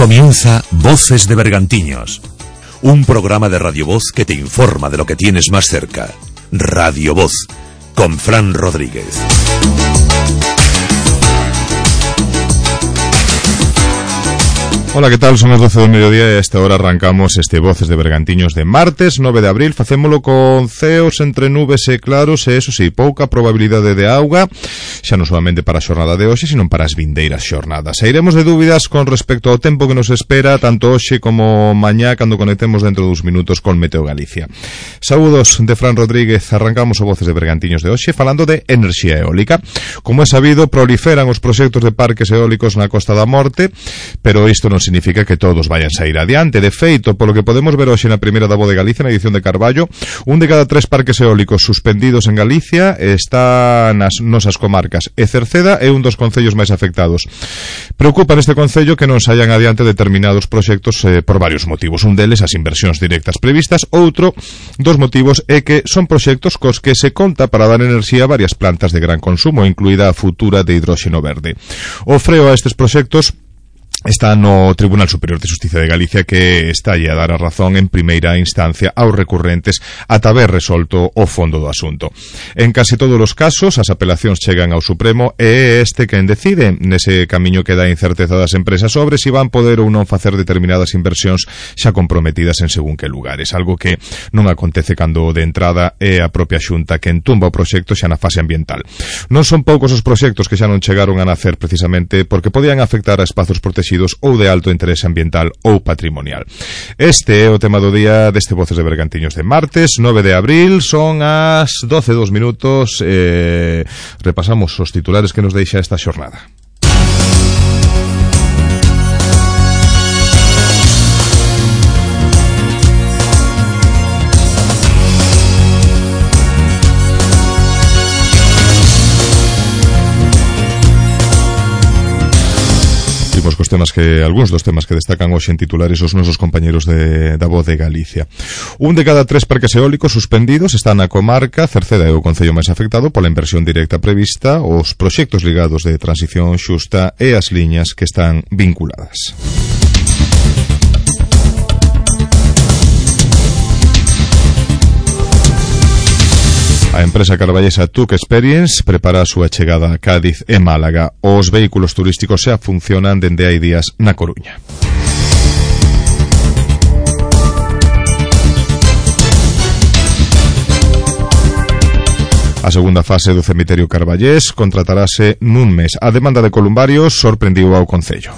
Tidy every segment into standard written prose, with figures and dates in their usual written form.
Comienza Voces de Bergantiños, un programa de Radio Voz que te informa de lo que tienes más cerca. Radio Voz, con Fran Rodríguez. Ola, que tal? Son as 12 do mediodía e a esta hora arrancamos este Voces de Bergantiños de martes 9 de abril. Facémolo con ceos entre nubes e claros e, eso sí, pouca probabilidade de auga, xa non solamente para a xornada de hoxe, sino para as vindeiras xornadas. E iremos de dúbidas con respecto ao tempo que nos espera, tanto hoxe como mañá, cando conectemos dentro dos minutos con Meteo Galicia. Saúdos de Fran Rodríguez. Arrancamos o Voces de Bergantiños de hoxe falando de enerxía eólica. Como é sabido, proliferan os proxectos de parques eólicos na Costa da Morte, pero isto non significa que todos vayan sair adiante. De feito, polo que podemos ver hoxe na primeira da Voz de Galicia, na edición de Carballo, un de cada 3 parques eólicos suspendidos en Galicia está nas nosas comarcas, e Cerceda é un dos concellos máis afectados. Preocupa neste concello que non saian adiante determinados proxectos por varios motivos. Un deles, as inversións directas previstas. Outro dos motivos é que son proxectos cos que se conta para dar enerxía a varias plantas de gran consumo, incluída a futura de hidróxeno verde. O freo a estes proxectos está no Tribunal Superior de Xustiza de Galicia, que está a dar a razón en primeira instancia aos recurrentes ata haber resolto o fondo do asunto. En casi todos os casos, as apelacións chegan ao Supremo e é este quen decide. Nese camiño que dá incerteza das empresas sobre si van poder ou non facer determinadas inversións xa comprometidas en según que lugares, algo que non acontece cando de entrada é a propia Xunta quen tumba o proxecto xa na fase ambiental. Non son poucos os proxectos que xa non chegaron a nacer precisamente porque podían afectar a espazos protegidos ou de alto interese ambiental ou patrimonial. Este é o tema do día deste Voces de Bergantiños de martes 9 de abril. Son as 12:02 minutos. Repasamos os titulares que nos deixa esta xornada. Algúns dos temas que destacan hoxe en titulares os nosos compañeros da Voz de Galicia. Un de cada 3 parques eólicos suspendidos está na comarca. Cerceda é o concello máis afectado pola inversión directa prevista, os proxectos ligados de transición xusta e as liñas que están vinculadas. A empresa carballesa Tuque Experience prepara a súa chegada a Cádiz e Málaga. Os vehículos turísticos xa funcionan dende hai días na Coruña. A segunda fase do cemiterio carballés contratarase nun mes. A demanda de columbarios sorprendiu ao concello.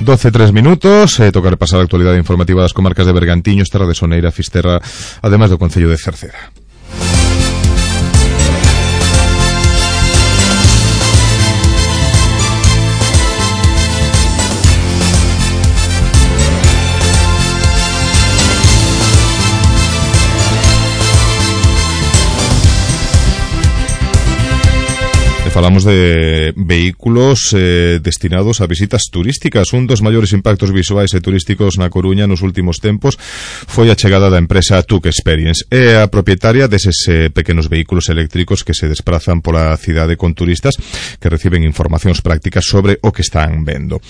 12:03 minutos. Toca repasar a actualidade informativa das comarcas de Bergantiños, Terra de Soneira, Fisterra, ademais do concello de Cerceda. Falamos de vehículos destinados a visitas turísticas. Un dos maiores impactos visuais e turísticos na Coruña nos últimos tempos foi a chegada da empresa Tuque Experience. É a propietaria deses pequenos vehículos eléctricos que se desprazan pola cidade con turistas que reciben informacións prácticas sobre o que están vendo.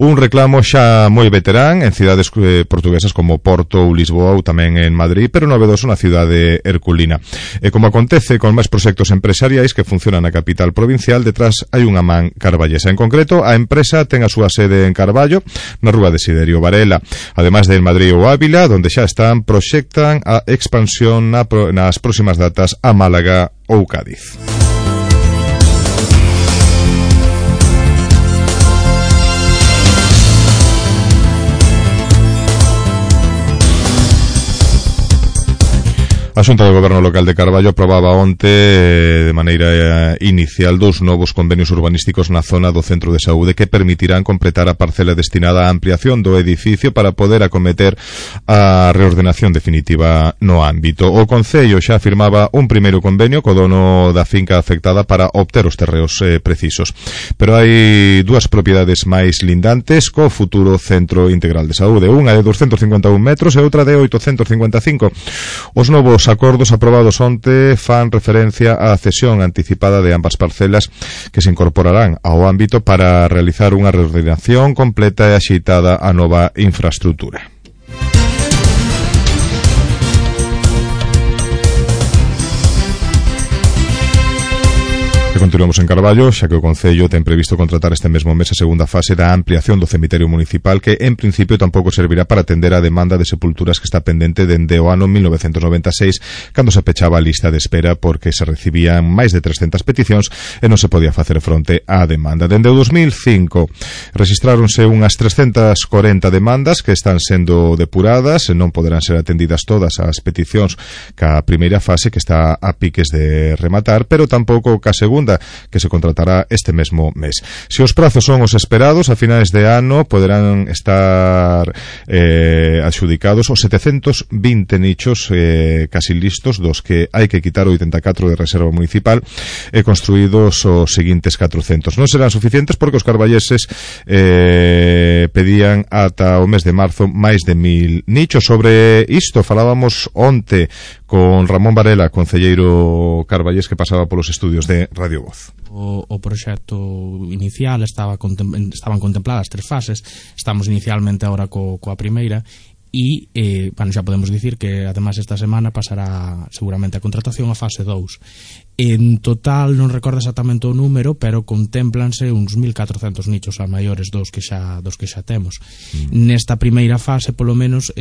Un reclamo xa moi veterán en cidades portuguesas como Porto ou Lisboa ou tamén en Madrid, pero novedoso na cidade herculina. E como acontece con máis proxectos empresariais que funcionan na capital provincial, detrás hai unha man carballesa. En concreto, a empresa ten a súa sede en Carballo, na rúa Desiderio Varela. Ademais de en Madrid ou Ávila, donde xa proxectan a expansión nas próximas datas a Málaga ou Cádiz. A Xunta de Goberno Local de Carballo aprobaba onte de maneira inicial 2 novos convenios urbanísticos na zona do Centro de Saúde que permitirán completar a parcela destinada á ampliación do edificio para poder acometer a reordenación definitiva no ámbito. O Concello xa firmaba un primeiro convenio co dono da finca afectada para obter os terreos precisos. Pero hai dúas propiedades máis lindantes co futuro Centro Integral de Saúde. Unha de 251 metros e outra de 855. Os novos acordos aprobados onte fan referencia á cesión anticipada de ambas parcelas que se incorporarán ao ámbito para realizar unha reordenación completa e axeitada á nova infraestrutura. Continuamos en Carballo, xa que o Concello ten previsto contratar este mesmo mes a segunda fase da ampliación do cemiterio municipal que en principio tampouco servirá para atender a demanda de sepulturas que está pendente dende o ano 1996 cando se pechaba a lista de espera porque se recibían máis de 300 peticións e non se podía facer fronte á demanda. Dende o 2005 rexistráronse unhas 340 demandas que están sendo depuradas e non poderán ser atendidas todas as peticións ca primeira fase que está a piques de rematar, pero tampouco ca segunda que se contratará este mesmo mes. Se os prazos son os esperados, a finais de ano poderán estar adxudicados os 720 nichos casi listos, dos que hai que quitar 84 de reserva municipal e construídos os seguintes 400. Non serán suficientes porque os carballeses pedían ata o mes de marzo máis de 1000 nichos. Sobre isto falábamos onte con Ramón Varela, concelleiro carballés que pasaba polos estudios de Radio Voz. O proxecto inicial estaban contempladas 3 fases. Estamos inicialmente agora coa primeira e, bueno, xa podemos dicir que ademais esta semana pasará seguramente a contratación a fase 2. En total non recordo exactamente o número, pero contémplanse uns 1400 nichos a maiores dos que xa temos. Nesta primeira fase, polo menos,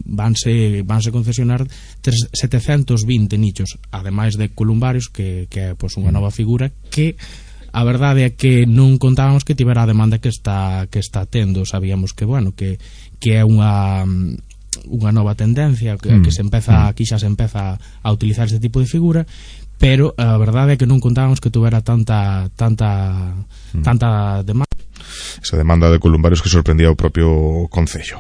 vanse concesionar 720 nichos, ademais de columbarios, que é pois unha nova figura que a verdade é que non contábamos que tivera a demanda que está tendo. Sabíamos que, bueno, que é unha nova tendencia que se empeza, aquí xa se empeza a utilizar este tipo de figura, pero a verdade é que non contábamos que tuvera tanta demanda. Esa demanda de columbarios que sorprendía o propio Concello.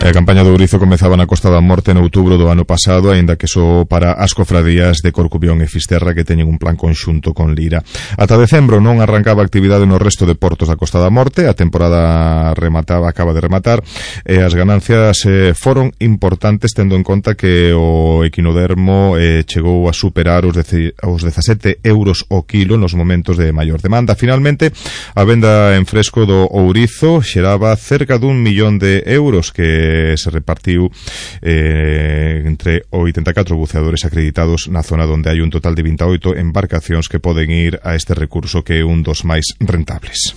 A campaña do Ourizo comezaba na Costa da Morte en outubro do ano pasado, aínda que só para as cofradías de Corcubión e Fisterra que teñen un plan conxunto con Lira. Ata decembro non arrancaba actividade no resto de portos da Costa da Morte, a temporada acaba de rematar e as ganancias foron importantes tendo en conta que o equinodermo chegou a superar os 17 euros o kilo nos momentos de maior demanda. Finalmente, a venda en fresco do Ourizo xeraba cerca dun millón de euros que se repartiu entre 84 buceadores acreditados na zona onde hai un total de 28 embarcacións que poden ir a este recurso que é un dos máis rentables.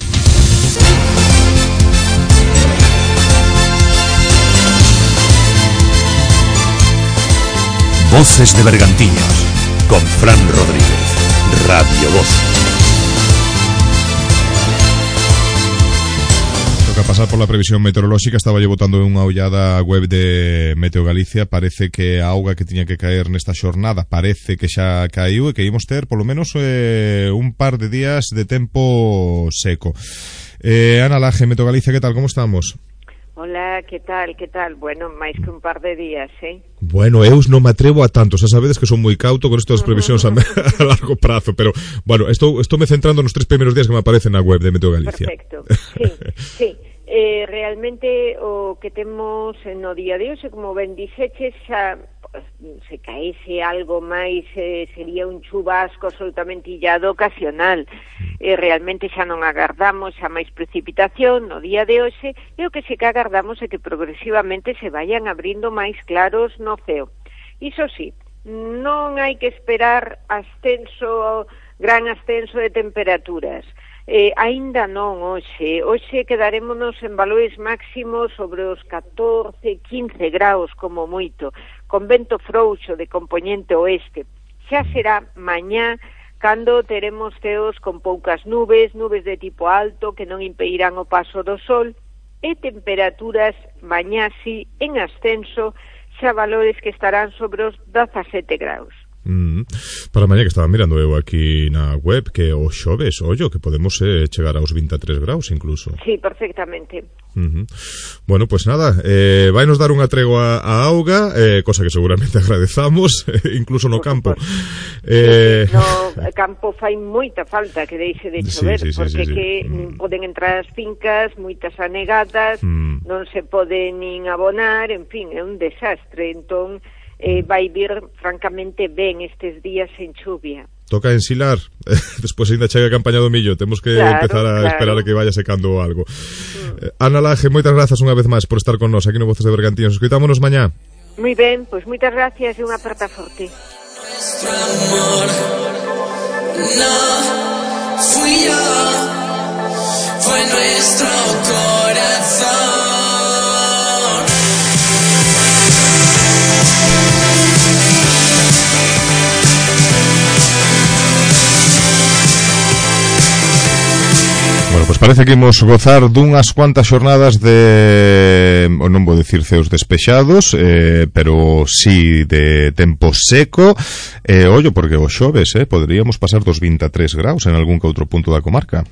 Voces de Bergantiños con Fran Rodríguez, Radio Voz. A pasar por la previsión meteorolóxica, estaba yo botando unha ollada web de Meteo Galicia. Parece que a auga que tiña que caer nesta xornada parece que xa caiu e que ímos ter polo menos un par de días de tempo seco. Ana Laje, Meteo Galicia, que tal, como estamos? Hola, que tal? Bueno, máis que un par de días, Bueno, eu non me atrevo a tanto, xa sabedes que son moi cauto con isto das previsións a largo prazo, pero, bueno, estou me centrando nos 3 primeiros días que me aparecen na web de Meteo Galicia. Perfecto, sí. Realmente o que temos no día de hoxe, como ben dixeches, xa se caese algo máis sería un chubasco absolutamente illado ocasional. Realmente xa non agardamos xa máis precipitación no día de hoxe e o que sí que agardamos é que progresivamente se vayan abrindo máis claros no ceo. Iso sí, non hai que esperar gran ascenso de temperaturas. Aínda non hoxe quedarémonos en valores máximos sobre os 14, 15 graus como moito, con vento frouxo de compoñente oeste. Xa será mañá cando teremos ceos con poucas nubes de tipo alto que non impedirán o paso do sol, e temperaturas mañasi en ascenso, xa valores que estarán sobre os 17 graus. Para mañá, que estaba mirando eu aquí na web, que o xoves, ollo, que podemos chegar aos 23 graus incluso. Sí, perfectamente. Bueno, pues nada, vai nos dar unha tregua a auga, cosa que seguramente agradezamos, incluso no campo. No campo fai moita falta que deixe de chover, porque poden entrar as fincas moitas anegadas, non se pode nin abonar, en fin, é un desastre. Entón vai vir francamente ben estes días en chuvia. Toca ensilar, despois ainda chega a campaña do millo, temos que empezar a esperar a que vaya secando algo. Ana Laje, moitas grazas unha vez máis por estar con nós aquí no Voces de Bergantiños. Escoitámonos mañá. Moi ben, pois moitas gracias e unha aperta forte. Nuestro amor no fui yo, fue nuestro corazón. Bueno, pues parece que imos gozar dunhas cuantas xornadas de, non vou dicir ceos despexados, pero sí de tempo seco, ollo, porque o xoves poderíamos pasar dos 23 graus en algún que outro punto da comarca.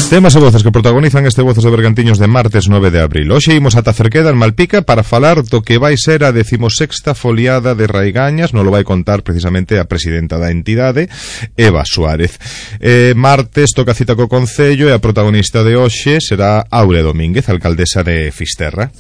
Temas e voces que protagonizan este Voces de Bergantiños de martes 9 de abril. Hoxe imos ata Cerqueda, en Malpica, para falar do que vai ser a 16ª foliada de Raigañas. Non lo vai contar precisamente a presidenta da entidade, Eva Suárez. Martes toca cita co Concello e a protagonista de hoxe será Aurea Domínguez, alcaldesa de Fisterra.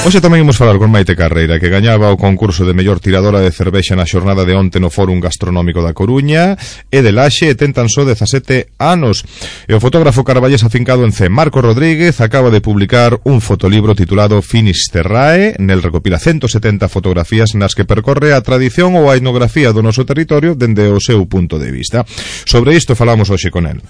Hoxe tamén imos falar con Maite Carreira, que gañaba o concurso de mellor tiradora de cervexa na xornada de onte no Fórum Gastronómico da Coruña, e de Laxe, e ten tan só 17 anos. E o fotógrafo carballés afincado en C, Marco Rodríguez, acaba de publicar un fotolibro titulado Finisterrae. Nel recopila 170 fotografías nas que percorre a tradición ou a etnografía do noso territorio dende o seu punto de vista. Sobre isto falamos hoxe con el.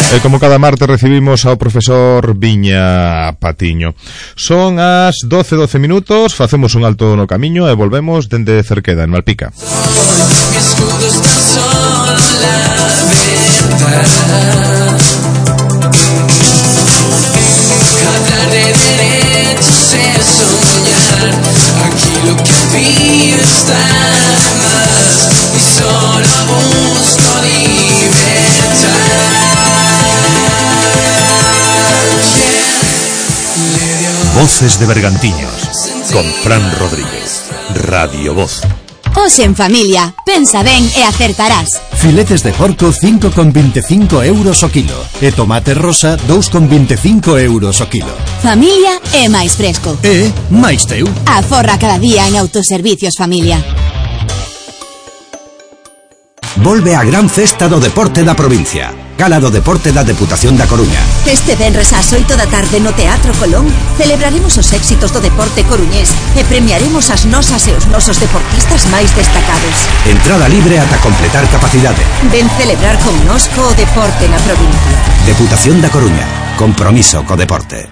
E como cada martes recibimos ao profesor Viña Patiño. Son as 12 minutos, facemos un alto no camiño e volvemos dende Cerqueda, en Malpica. Hablar de derechos es soñar, aquí lo que pido está más y solo busco libertad. Voces de Bergantiños, con Fran Rodríguez, Radio Voz. Hoxe en familia, pensa ben e acertarás. Filetes de porco 5,25 euros o kilo. E tomate rosa 2,25 euros o kilo. Familia é máis fresco. E máis teu. Aforra cada día en Autoservicios Familia. Volve a gran festa do deporte da provincia. Gala do Deporte da Deputación da Coruña. Este venres ás 8 da tarde no Teatro Colón celebraremos os éxitos do deporte coruñés e premiaremos as nosas e os nosos deportistas máis destacados. Entrada libre ata completar capacidade. Ven celebrar connosco o deporte na provincia. Deputación da Coruña. Compromiso co deporte.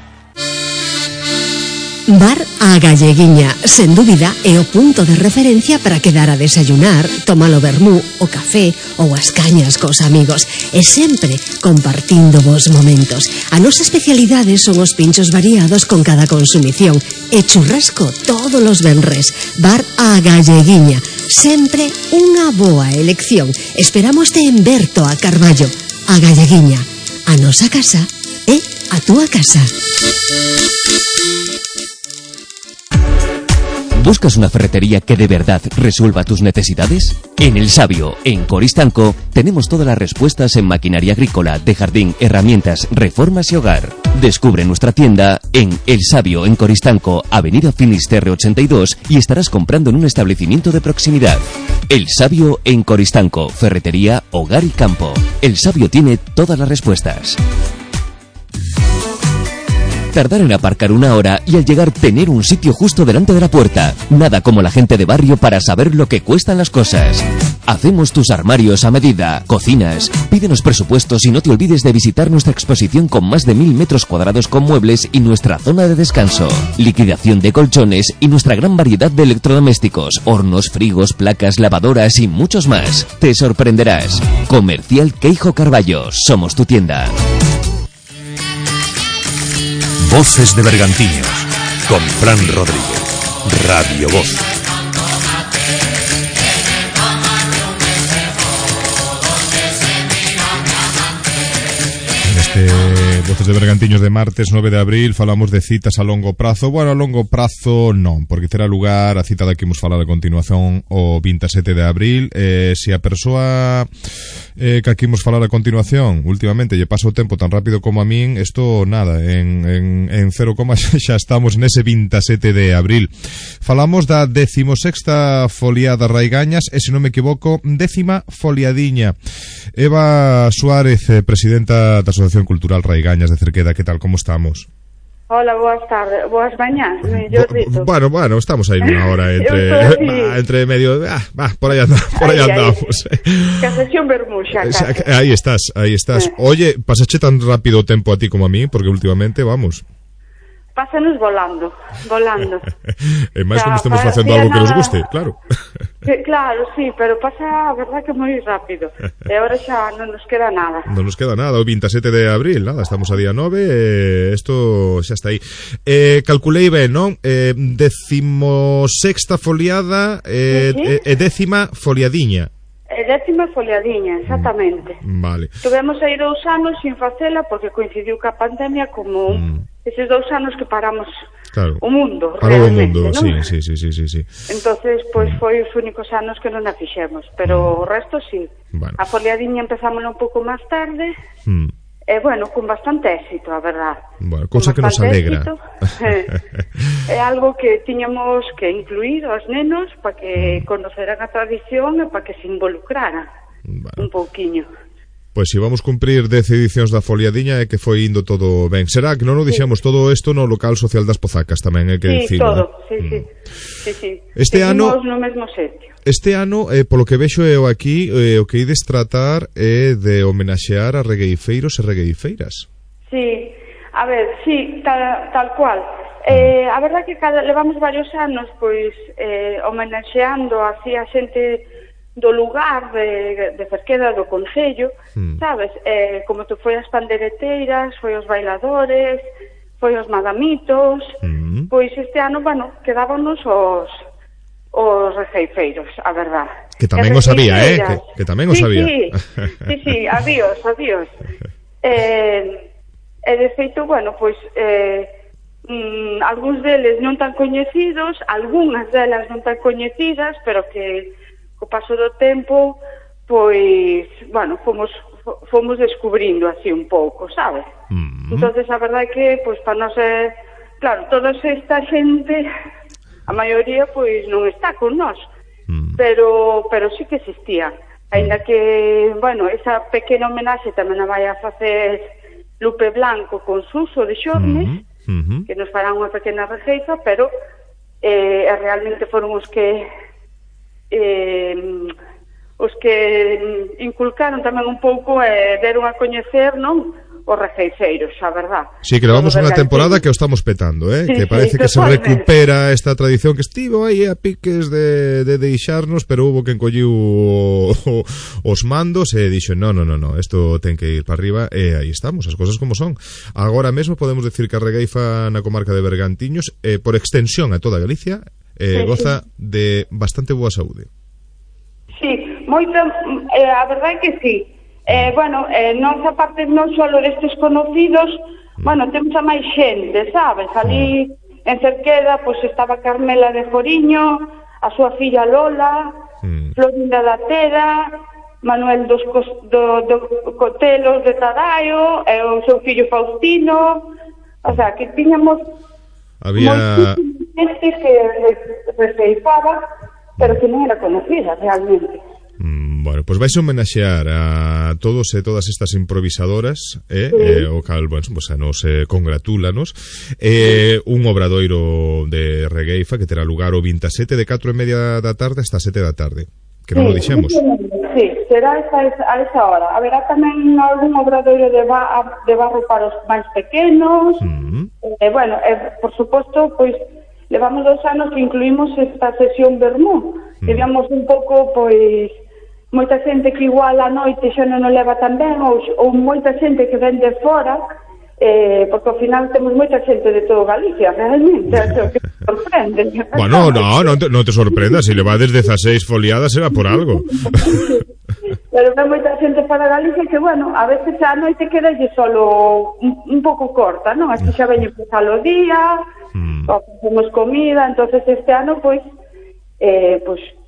Bar A Galleguiña, sen dúbida, é o punto de referencia para quedar a desayunar, tomar o vermú, o café ou as cañas cos amigos, e sempre compartindo vos momentos. A nosa especialidade son os pinchos variados con cada consumición e churrasco todos os venres. Bar A Galleguiña, sempre unha boa elección. Esperámoste en Berto a Carballo. A Galleguiña, a nosa casa é a túa casa. ¿Buscas una ferretería que de verdad resuelva tus necesidades? En El Sabio, en Coristanco, tenemos todas las respuestas en maquinaria agrícola, de jardín, herramientas, reformas y hogar. Descubre nuestra tienda en El Sabio, en Coristanco, Avenida Finisterre 82, y estarás comprando en un establecimiento de proximidad. El Sabio en Coristanco, ferretería, hogar y campo. El Sabio tiene todas las respuestas. Tardar en aparcar 1 hora y al llegar tener un sitio justo delante de la puerta. Nada como la gente de barrio para saber lo que cuestan las cosas. Hacemos tus armarios a medida, cocinas. Pídenos presupuestos y no te olvides de visitar nuestra exposición con más de 1000 metros cuadrados con muebles y nuestra zona de descanso. Liquidación de colchones y nuestra gran variedad de electrodomésticos, hornos, frigos, placas, lavadoras y muchos más. Te sorprenderás. Comercial Queijo Carballo. Somos tu tienda. Voces de Bergantiños, con Fran Rodríguez, Radio Voz. Voces de Bergantiños de martes 9 de abril falamos de citas a longo prazo. Bueno, a longo prazo non, porque terá lugar a cita da que imos falar a continuación o 27 de abril. Se a persoa que aquí imos falar a continuación últimamente lle pasa o tempo tan rápido como a min, isto nada, en 0, xa estamos nese 27 de abril. Falamos da 16ª foliada Raigañas e, se non me equivoco, 10ª foliadiña. Eva Suárez, presidenta da Asociación Cultural Raigañas de Cerqueda, que tal, como estamos? Hola, boas tardes, boas mañás, mellor dito. Bueno, estamos aí unha hora entre medio, por aí andamos. Que a sesión vermuxa, casi. Aí estás. Oye, pasache tan rápido o tempo a ti como a mí, porque últimamente, vamos... Pásanos volando. E máis como estemos facendo algo que nos guste, claro. Claro, sí, pero pasa a verdad que moi rápido. E agora xa non nos queda nada. Non nos queda nada, o 27 de abril, nada, estamos a día 9, isto xa está aí. Calculei ben, non? 16ª foliada e 10ª foliadiña. E 10ª foliadiña, exactamente. Vale. Tuvemos aí 2 anos sin facela porque coincidiu ca pandemia como eses 2 anos que paramos o mundo, parou realmente, o mundo, ¿no? sí. Entonces, pois foi os únicos anos que non a fixemos, pero o resto sí. Bueno. A foliadiña empezámola un pouco máis tarde, e bueno, con bastante éxito, a verdad. Bueno, cousa que nos alegra. É algo que tiñamos que incluir aos nenos para que conoceran a tradición e para que se involucraran un pouquiño. Pois si vamos cumprir 10 edicións da foliadiña é que foi indo todo ben. Será que non o dixemos todo isto no local social das Pozacas tamén, é que dicilo. Todo, sí. Este ano no mesmo sitio. Este ano, polo que vexo eu aquí, o que ides tratar é de homenaxear a regueifeiros e regueifeiras. Sí, a ver, sí, tal cual. A verdad que levamos varios anos pois homenaxeando así a xente do lugar de Cerqueda, do concello, sabes? Como tu foi as pandereteiras, foi os bailadores, foi os madamitos, pois este ano, bueno, quedábanos os regueifeiros, a verdad. Que tamén os había, que tamén os había. Sí, adiós. De feito, bueno, pois algúns deles non tan coñecidos, algunhas delas non tan coñecidas, pero que co paso do tempo, pois, bueno, fomos descubrindo así un pouco, sabes? Entonces, a verdade que, pois, para nós claro, toda esta xente, a maioría, pois, non está con nós, pero sí que existía. Ainda que, bueno, esa pequena homenaxe tamén a vai a facer Lupe Blanco con Suso de Xornes, que nos farán unha pequena rexeiza, pero realmente foron os que inculcaron tamén un pouco deron a coñecer, non? Os regueifeiros, a verdad. Sí, que levamos unha temporada que o estamos petando, que parece que se recupera esta tradición que estivo aí a piques de deixarnos, pero hubo quen colliu os mandos e dixo, no, isto ten que ir para arriba, e aí estamos, as cosas como son. Agora mesmo podemos decir que a regueifa na comarca de Bergantiños, por extensión a toda Galicia, goza de bastante boa saúde. Sí, moito, a verdade que sí. Bueno, nós aparte non só destes conocidos, bueno, temos a máis xente, sabes? Ali en Cerqueda, pois estaba Carmela de Foriño, a súa filla Lola, Florinda da Tera, Manuel dos Cotelos de Tadaio, e o seu fillo Faustino, o sea, que tiñamos moitísima xente que regueifaba, pero que non era conocida realmente. Bueno, pois vais homenaxear a todos e todas estas improvisadoras, o cal, bueno, pues a nos congratúlanos, un obradoiro de regueifa que terá lugar o 27 de 4:30 da tarde hasta 7 da tarde, que non o dixemos. Sí, será a esa hora. Haberá tamén algún obradoiro de barro para os máis pequenos. Bueno, por suposto, pois levamos 2 anos que incluímos esta sesión vermú. Queríamos un pouco, pois, moita xente que igual a noite xa non o leva tan ben, ou moita xente que ven de fora, porque ao final temos moita xente de todo Galicia, realmente, é que sorprende. Bueno, non te sorprendas, se levades 16 foliadas será por algo. Pero ven moita xente para Galicia que, bueno, a veces a noite quedalle solo un pouco corta, non? Así xa veñen pasar o día, ou facemos comida, entonces este ano, pois,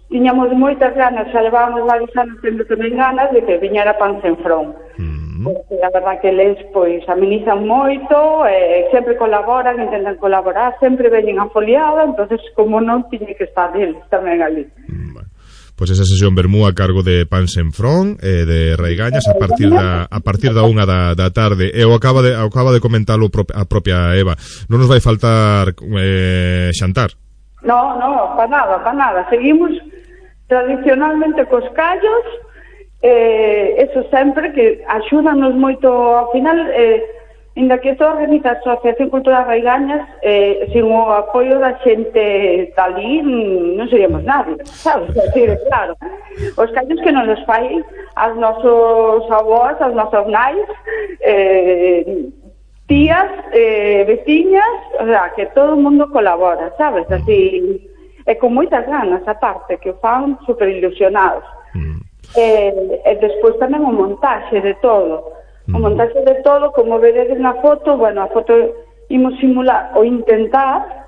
tiñamos moitas ganas, xa levábamos varios anos tendo tamén ganas de que viñera Pan Sen Front. Porque a verdad que eles pois amenizan moito, sempre colaboran, intentan colaborar, sempre veñen a foliada, entonces como non tiñe que estar eles tamén ali. Pois esa sesión vermú a cargo de Pan Sen Front, de Raigañas, a partir da 1 da tarde, e acaba de comentalo a propia Eva, non nos vai faltar xantar. No, para nada. Seguimos tradicionalmente cos callos, eso sempre que axúdanos moito ao final, inda que isto organiza a Asociación Cultural Raigañas, sin o apoio da xente dali non seríamos nadie, sabes? Claro, os callos que nos fai as nosos avós, as nosas nais, tías, veciñas, o sea, que todo o mundo colabora, sabes? Así, e con moitas ganas, aparte, que o fan super ilusionados. E despois tamén o montaxe de todo. O montaxe de todo, como veredes na foto, bueno, a foto imos simular ou intentar,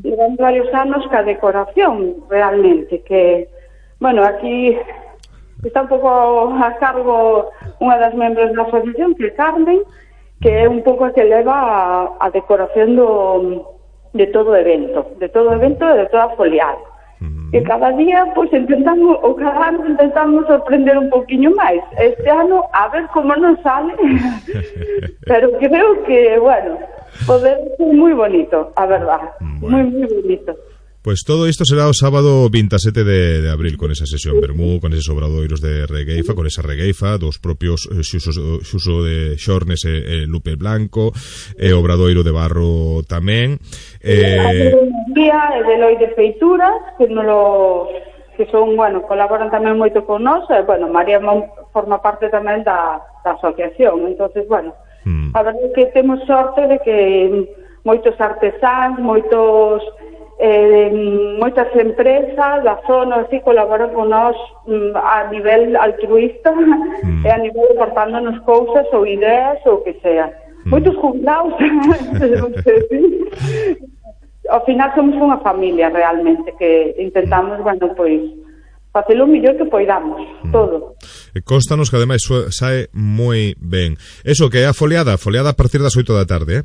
levamos varios anos ca decoración, realmente, que, bueno, aquí está un pouco a cargo unha das membros da asociación, que é Carmen, que é un pouco a que leva a decoración de todo evento e de toda foliada. E cada día, pois, cada ano intentamos sorprender un poquinho máis. Este ano, a ver como nos sale, pero creo que, bueno, poder ser moi bonito, a verdad, moi bonito. Pois todo isto será o sábado 27 de abril, con esa sesión vermú, con eses obradoiros de regueifa, con esa regueifa dos propios Xuso de Xornes e Lupe Blanco, e obradoiro de barro tamén. Día e de Loi de Feituras, que son, bueno, colaboran tamén moito con nós, e, bueno, María forma parte tamén da asociación, entonces, bueno, a verdade é que temos sorte de que moitos artesáns, moitas empresas da zona así colaboran con nós a nivel altruista e a nivel aportándonos cousas ou ideas ou que sea. Moitos jubilados ao final somos unha familia realmente que intentamos, bueno, pois facelo o mellor que poidamos, todo. Constanos que ademais sae moi ben. Eso que é a foliada a partir das 8 da tarde,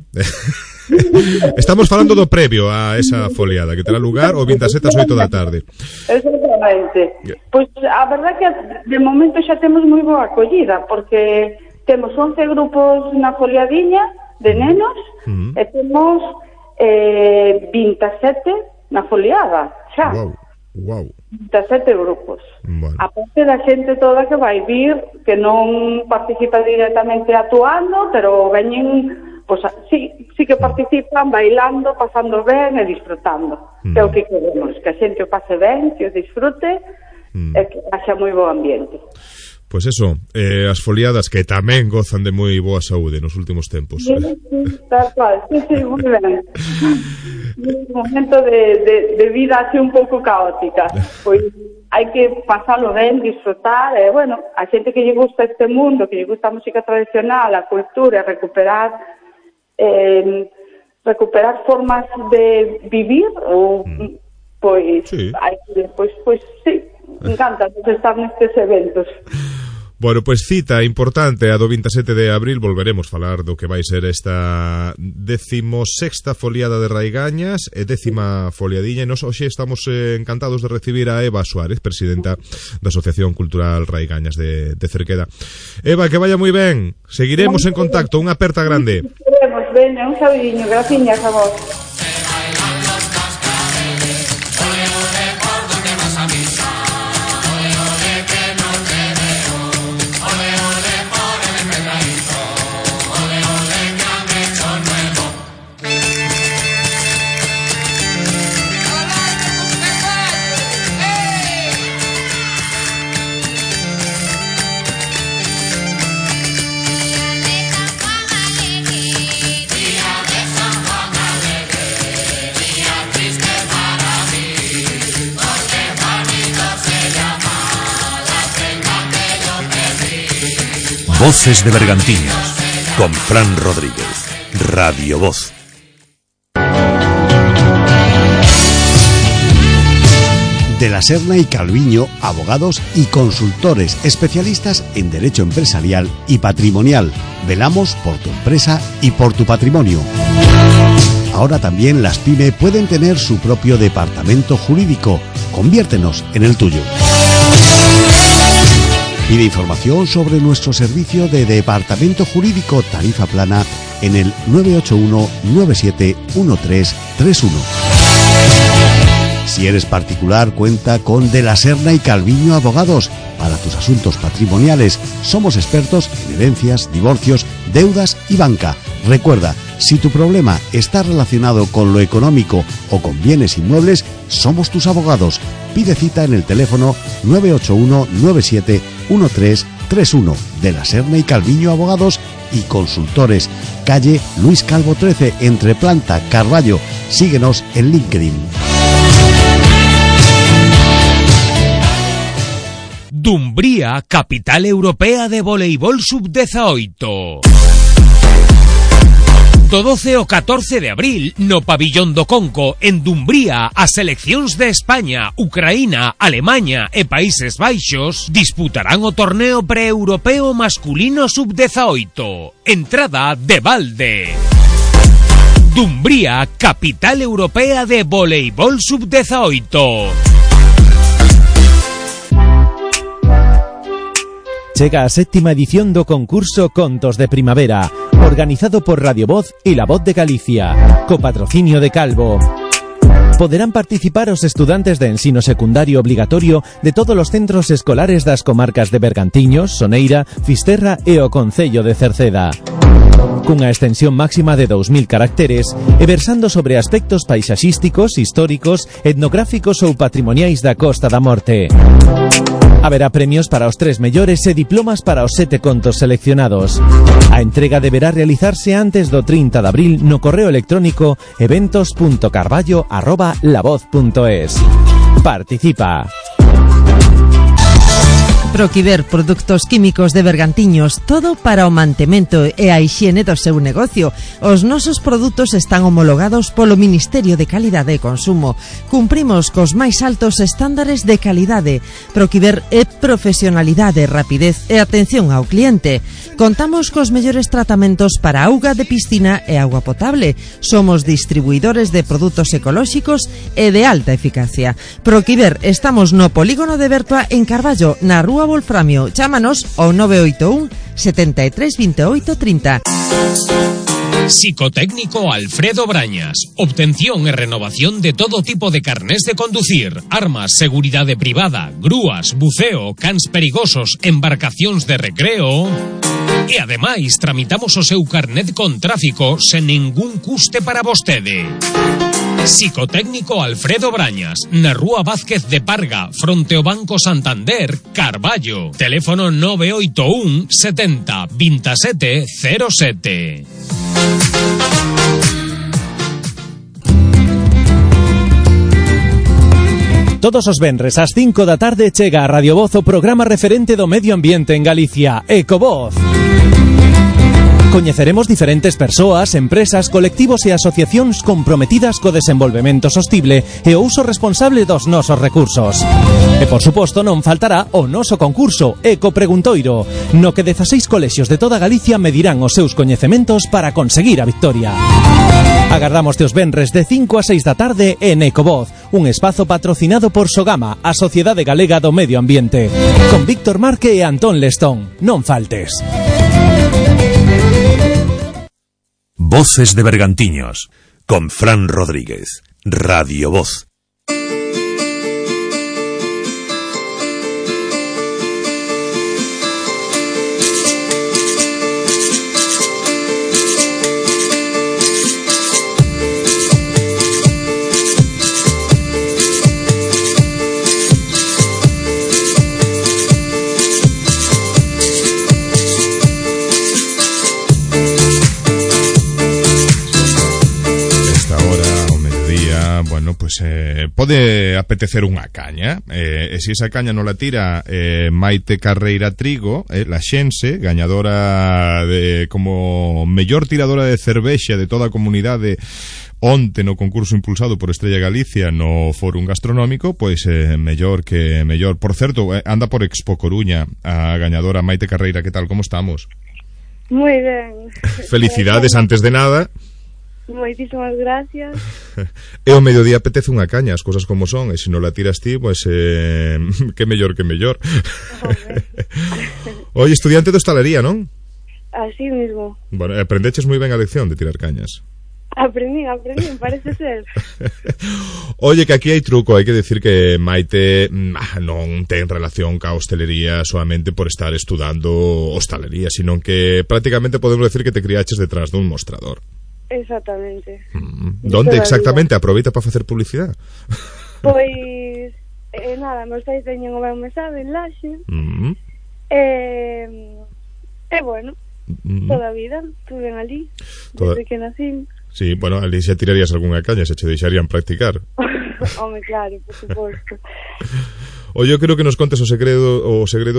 Estamos falando do previo a esa foliada que terá lugar o 27 ás 8 da tarde. Exactamente. Pois a verdade que de momento xa temos moi boa acollida, porque temos 11 grupos na foliadiña de nenos e temos 27 na foliada xa. Wow. 27 grupos. Bueno. A parte da xente toda que vai vir, que non participa directamente actuando, pero veñen, pues, sí que participan bailando, pasando ben e disfrutando. É o que queremos, que a xente o pase ben, que o disfrute e que haxa moi bo ambiente. Pois eso, as foliadas que tamén gozan de moi boa saúde nos últimos tempos. Sí, tal cual, sí, moi ben. Un momento de vida así un pouco caótica. Pois hai que pasalo ben, disfrutar, e bueno, a xente que lle gusta este mundo, que lle gusta a música tradicional, a cultura, recuperar formas de vivir, ou pois hai que, pois sí, encanta estar nestes eventos. Bueno, pois cita importante a do 27 de abril. Volveremos falar do que vai ser esta 16ª foliada de Raigañas e 10ª foliadiña, e nos hoxe estamos encantados de recibir a Eva Suárez, presidenta da Asociación Cultural Raigañas de Cerqueda. Eva, que vaya moi ben, seguiremos en contacto, unha aperta grande. Queremos, veña, un sabidiño, graciñas a vos. Voces de Bergantiños, con Fran Rodríguez, Radio Voz. De la Serna y Calviño, abogados y consultores especialistas en derecho empresarial y patrimonial. Velamos por tu empresa y por tu patrimonio. Ahora también las PYME pueden tener su propio departamento jurídico. Conviértenos en el tuyo. Pide información sobre nuestro servicio de departamento jurídico tarifa plana en el 981-971331. Si eres particular, cuenta con De la Serna y Calviño Abogados. Para tus asuntos patrimoniales, somos expertos en herencias, divorcios, deudas y banca. Recuerda, si tu problema está relacionado con lo económico o con bienes inmuebles, somos tus abogados. Pide cita en el teléfono 981-971331. De la Serna y Calviño Abogados y Consultores. Calle Luis Calvo 13, entre Planta, Carballo. Síguenos en LinkedIn. Dumbría, capital europea de voleibol sub-18. Do 12 ao 14 de abril, no Pabillón do Conco, en Dumbría, as seleccións de España, Ucraína, Alemanha e Países Baixos disputarán o torneo pre-europeo masculino sub-18. Entrada de balde. Dumbría, capital europea de voleibol sub-18. Chega a 7ª edición do concurso Contos de Primavera, organizado por Radio Voz e La Voz de Galicia, co patrocinio de Calvo. Poderán participar os estudantes de ensino secundario obligatorio de todos os centros escolares das comarcas de Bergantiños, Soneira, Fisterra e o concello de Cerceda. Cunha extensión máxima de 2000 caracteres e versando sobre aspectos paisaxísticos, históricos, etnográficos ou patrimoniais da Costa da Morte. Haberá premios para os 3 mellores e diplomas para os 7 contos seleccionados. A entrega deberá realizarse antes do 30 de abril no correo electrónico eventos.carballo@lavoz.es. Participa. Proquiver, produtos químicos de Bergantiños, todo para o mantemento e a hixiene do seu negocio. Os nosos produtos están homologados polo Ministerio de Calidade e Consumo. Cumprimos cos máis altos estándares de calidade. Proquiver é profesionalidade, rapidez e atención ao cliente. Contamos cos mellores tratamentos para auga de piscina e auga potable. Somos distribuidores de produtos ecolóxicos e de alta eficacia. Proquiver, estamos no polígono de Bertua en Carballo, na Rúa Wolframio. Chámanos ao 981 73 28 30. Psicotécnico Alfredo Brañas. Obtención e renovación de todo tipo de carnés de conducir, armas, seguridade privada, grúas, buceo, cans perigosos, embarcacións de recreo. E ademais tramitamos o seu carnet con tráfico sen ningún custe para vostede. Psicotécnico Alfredo Brañas, na Rúa Vázquez de Parga, fronte ao Banco Santander, Carballo. Teléfono 981 70 27 07. Todos os venres ás 5 da tarde chega a Radio Voz o programa referente do medio ambiente en Galicia, Ecovoz. Coñeceremos diferentes persoas, empresas, colectivos e asociacións comprometidas co desenvolvemento sostible e o uso responsable dos nosos recursos. E, por suposto, non faltará o noso concurso Eco Preguntoiro, no que 16 colexios de toda Galicia medirán os seus coñecementos para conseguir a victoria. Agardámoste os venres de 5 a 6 da tarde en Ecovoz, un espazo patrocinado por Sogama, a Sociedade Galega do Medio Ambiente, con Víctor Marque e Antón Lestón. Non faltes. Voces de Bergantiños, con Fran Rodríguez, Radio Voz. Pues pode apetecer unha caña, e se esa caña non la tira Maite Carreira Trigo, la xense, gañadora de como mellor tiradora de cervexa de toda a comunidade onte no concurso impulsado por Estrella Galicia no Fórum Gastronómico, pois mellor que mellor. Por certo, anda por Expo Coruña a gañadora Maite Carreira. Que tal, como estamos? Moi ben. Felicidades antes de nada. Moitísimas gracias. E o mediodía apetece unha caña, as cosas como son, e se non la tiras ti, pois que mellor que mellor. Oye, estudiante de hostalería, non? Así mismo. Bueno, aprendeches moi ben a lección de tirar cañas. Aprendí, parece ser. Oye, que aquí hai truco, hai que decir que Maite non ten relación ca hostelería solamente por estar estudando hostalería, sino que prácticamente podemos decir que te criaches detrás dun mostrador. Exactamente. Donde exactamente? Aproveita para facer publicidade? Pois nada, meus pais teñen o meu mesado en Laxe. Bueno, toda a vida estuve ali desde que nací. Sí, bueno, ali xa tirarías algunha caña, se che deixarían practicar. Home, claro, por suposto. Oye, eu creo que nos contes o segredo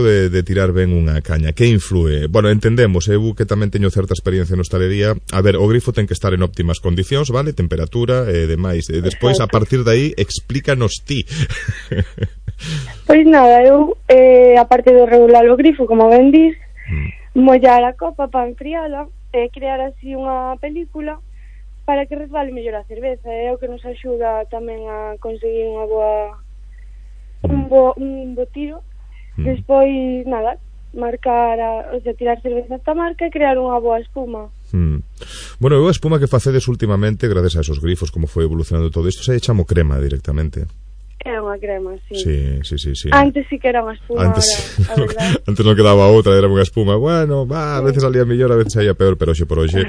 de tirar ben unha caña. Que influe? Bueno, entendemos, eu que tamén teño certa experiencia en hostalería. A ver, o grifo ten que estar en óptimas condicións, vale? Temperatura e demais. Despois, a partir de aí, explícanos ti. Pois nada, eu, aparte de regular o grifo, como ben dis, mollar a copa para enfriala e crear así unha película para que resbale mellor a cerveza. É o que nos axuda tamén a conseguir unha boa un bo tiro. Despois, nada, marcar tirar cerveza esta marca e crear unha boa espuma. Bueno, eu a espuma que facedes últimamente, gracias a esos grifos, como foi evolucionando todo isto, se chamo crema directamente. É unha crema, sí. Sí. Antes sí que era unha espuma, antes non quedaba outra, era unha espuma. Bueno, a veces salía mellor, a veces salía peor, pero hoxe por hoxe,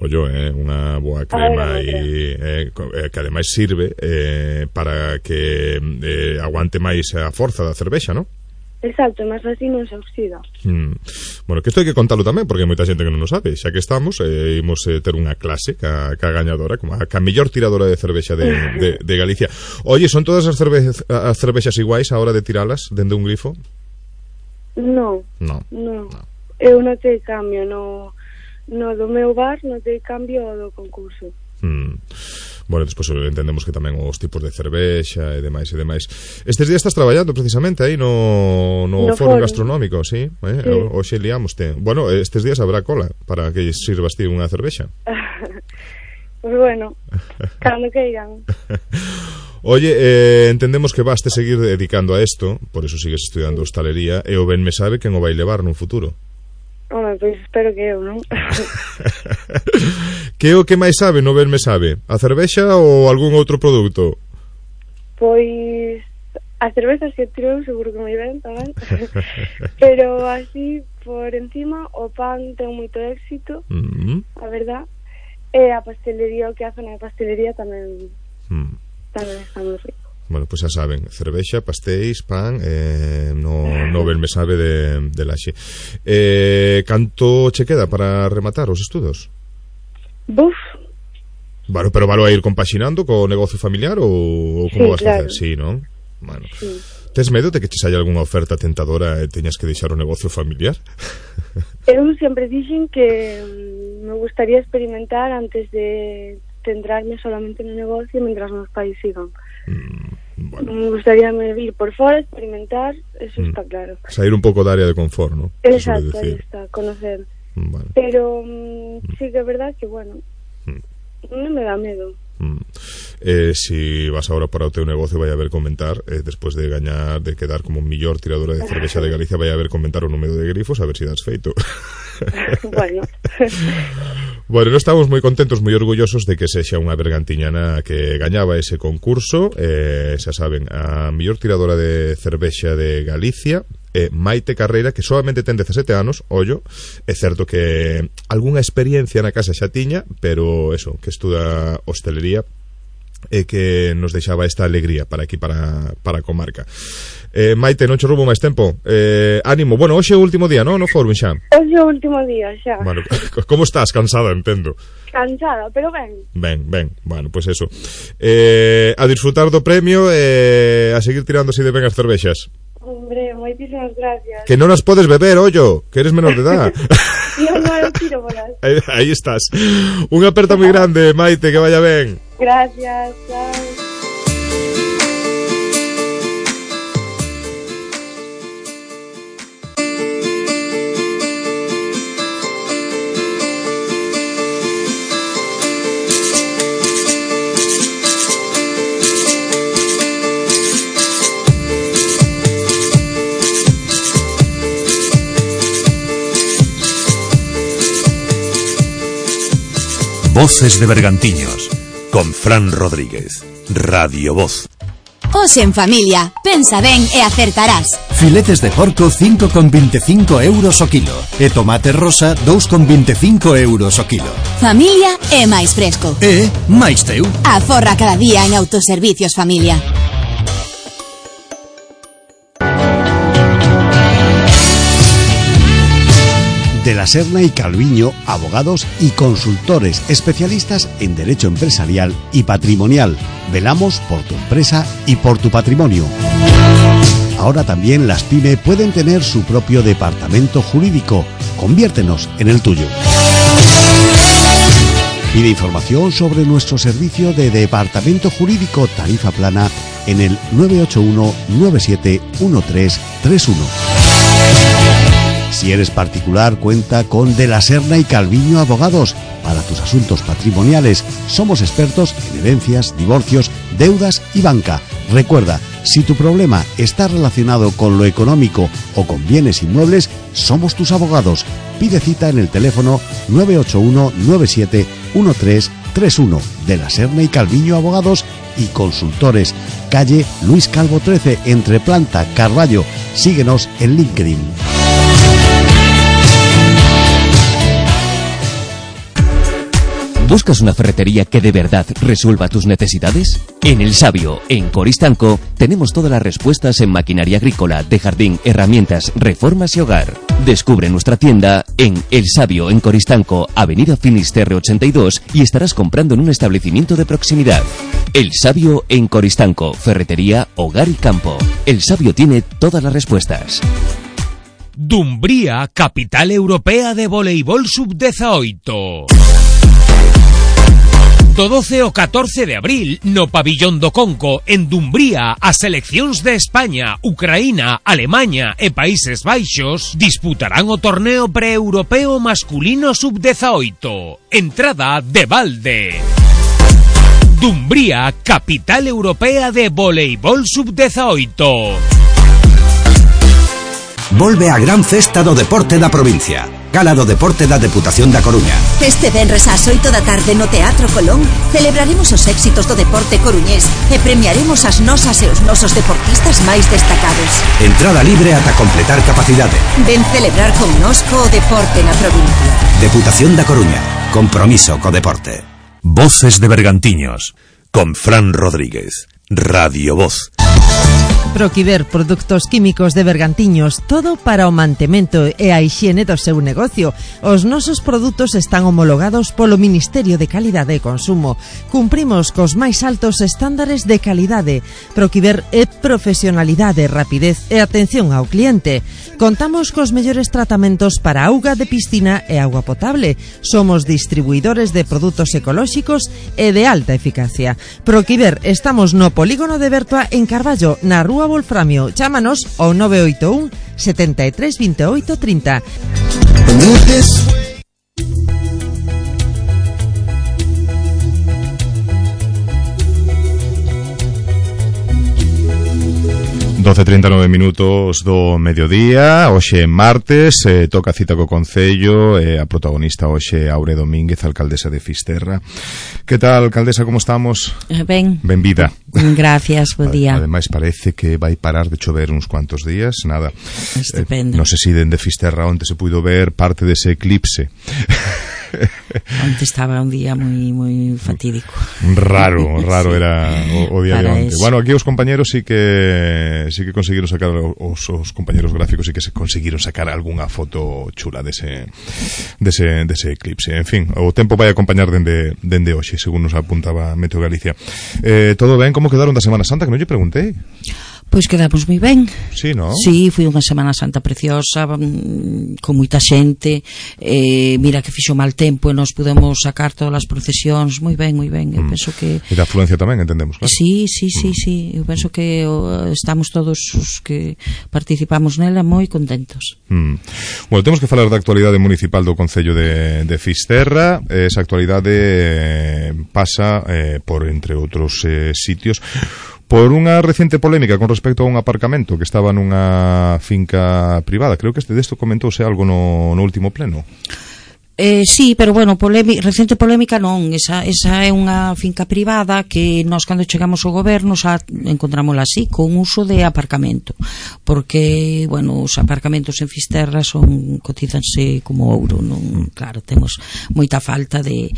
unha boa crema e que ademais sirve para que aguante máis a forza da cervexa, non? Exacto, mas así non se oxida. Bueno, que isto hai que contalo tamén, porque hai moita xente que non o sabe. Xa que estamos, imos ter unha clase ca gañadora, como a mellor tiradora de cervexa de Galicia. Oye, son todas as cervexas iguais a hora de tiralas dende un grifo? No. Eu notei cambio no do meu bar, notei cambio do concurso. Bueno, despois entendemos que tamén os tipos de cervexa e demais. Estes días estás traballando precisamente aí no Fórum Gastronómico, sí? Hoxe liámoste. Bueno, estes días habrá cola para que sirvas ti unha cervexa. Pues bueno, cando queiran. Oye, entendemos que vaste seguir dedicando a esto, por eso sigues estudiando hostalería, e o ben me sabe quen o vai levar nun futuro. Home, pois espero que eu, non? Que é o que máis sabe no ben me sabe? A cervexa ou algún outro produto? Pois a cervexa que tiro seguro que moi ben tamén. Pero así por encima o pan ten moito éxito, a verdad. E a pastelería, o que a zona de pastelería tamén está moi rico. Bueno, pois xa saben, cervexa, pastéis, pan, no ben me sabe de Laxe. Canto che queda para rematar os estudos? Buf. Bueno, pero valo a ir compaxinando co negocio familiar ou como vas a facer? Sí, non? Bueno. Sí. Tes medo de que te saia algunha oferta tentadora e teñas que deixar o negocio familiar? Eu sempre dixen que me gustaría experimentar antes de centrarme solamente no negocio mientras meus pais sigan. Me gustaría ir por fora, experimentar, eso está claro. Salir un pouco da área de confort, ¿no? Exacto, aí está, conocer. Vale. Pero sí que é verdad que, bueno, non me dá medo. Si vas ahora para o teu negocio vai haber comentar despois de gañar, de quedar como mellor tiradora de cervexa de Galicia, vai haber comentar o número de grifos a ver se das feito. Bueno, non estamos moi contentos, moi orgullosos de que sexa unha bergantiñana que gañaba ese concurso. Xa saben, a mellor tiradora de cervexa de Galicia, Maite Carreira, que solamente ten 17 anos. Ollo, é certo que algunha experiencia na casa xa tiña, pero eso, que estuda hostelería e que nos deixaba esta alegría para aquí, para a comarca. Maite, non che roubo máis tempo. Ánimo. Bueno, hoxe é o último día, non? No forum xa. Hoxe é o último día xa. Bueno, como estás? Cansada, entendo. Cansada, pero ben. Ben. Bueno, pois eso. A disfrutar do premio e a seguir tirando así de ben as cervexas. Hombre, moitísimas gracias. Que non as podes beber, ollo, que eres menor de edad. Non, eu tiro bolas. Aí estás. Unha aperta moi grande, Maite, que vaya ben. Gracias, chao. Voces de Bergantiños, con Fran Rodríguez, Radio Voz. Hoxe en familia, pensa ben e acertarás. Filetes de porco 5,25 euros o kilo e tomate rosa 2,25 euros o kilo. Familia é máis fresco. E máis teu. Aforra cada día en Autoservicios Familia. De la Serna y Calviño, abogados y consultores especialistas en derecho empresarial y patrimonial. Velamos por tu empresa y por tu patrimonio. Ahora también las PYME pueden tener su propio departamento jurídico. Conviértenos en el tuyo. Pide información sobre nuestro servicio de departamento jurídico tarifa plana en el 981 97 1331. Si eres particular, cuenta con De la Serna y Calviño Abogados. Para tus asuntos patrimoniales, somos expertos en herencias, divorcios, deudas y banca. Recuerda, si tu problema está relacionado con lo económico o con bienes inmuebles, somos tus abogados. Pide cita en el teléfono 981 97 1331. De la Serna y Calviño Abogados y Consultores. Calle Luis Calvo 13, entre Planta, Carballo. Síguenos en LinkedIn. ¿Buscas una ferretería que de verdad resuelva tus necesidades? En El Sabio, en Coristanco, tenemos todas las respuestas en maquinaria agrícola, de jardín, herramientas, reformas y hogar. Descubre nuestra tienda en El Sabio, en Coristanco, Avenida Finisterre 82, y estarás comprando en un establecimiento de proximidad. El Sabio en Coristanco, ferretería, hogar y campo. El Sabio tiene todas las respuestas. Dumbría, capital europea de voleibol sub-18. Do 12 ao 14 de abril, no Pabillón do Conco, en Dumbría, as seleccións de España, Ucraína, Alemanha e Países Baixos disputarán o torneo pre-europeo masculino sub-18. Entrada de balde. Dumbría, capital europea de voleibol sub-18. Volve a gran festa do deporte da provincia. Gala do Deporte da Deputación da Coruña. Este venres ás 8 da tarde no Teatro Colón celebraremos os éxitos do deporte coruñés e premiaremos as nosas e os nosos deportistas máis destacados. Entrada libre ata completar capacidade. Ven celebrar connosco o deporte na provincia. Deputación da Coruña. Compromiso co deporte. Voces de Bergantiños, con Fran Rodríguez, Radio Voz. Proquiver, produtos químicos de Bergantiños, todo para o mantemento e a hixiene do seu negocio. Os nosos produtos están homologados polo Ministerio de Calidade e Consumo. Cumprimos cos máis altos estándares de calidade. Proquiver é profesionalidade, rapidez e atención ao cliente. Contamos cos mellores tratamentos para auga de piscina e auga potable. Somos distribuidores de produtos ecolóxicos e de alta eficacia. Proquiver, estamos no polígono de Bertoa en Carballo, na Rúa Wolframio. Chámanos ao 981 73 28 30. 12:39 minutos do mediodía. Hoxe é martes, toca cita co Concello, a protagonista hoxe é Aure Domínguez, alcaldesa de Fisterra. Que tal, alcaldesa, como estamos? Ben. Benvida. Gracias, bo día. Ademais parece que vai parar de chover uns cuantos días, nada. Estupendo. Non sei se dende Fisterra onde se puido ver parte dese eclipse. Onte estaba un día moi fatídico. Raro era o día de onte. Eso. Bueno, aquí os compañeros sí que conseguiron sacar os compañeros gráficos sí que se conseguiron sacar algunha foto chula dese eclipse. En fin, o tempo vai acompañar dende hoxe, según nos apuntaba Meteo Galicia. Todo ben? Como quedaron da Semana Santa? Que non lle preguntei. Pois quedamos moi ben. Sí, non? Sí, foi unha Semana Santa preciosa, con moita xente. Mira que fixo mal tempo e nos pudemos sacar todas as procesións moi ben. Eu penso que... E da afluencia tamén, entendemos, claro. Sí. Eu penso que estamos todos os que participamos nela moi contentos. Bueno, temos que falar da actualidade municipal do Concello de Fisterra. Esa actualidade pasa por, entre outros sitios, por unha recente polémica con respecto a un aparcamento que estaba nunha finca privada. Creo que desto comentouse algo no último pleno. Sí, pero bueno, recente polémica non, esa é unha finca privada que nós cando chegamos ao goberno xa encontrámola así, con uso de aparcamento, porque, bueno, os aparcamentos en Fisterra cotizanse como ouro, non? Claro, temos moita falta de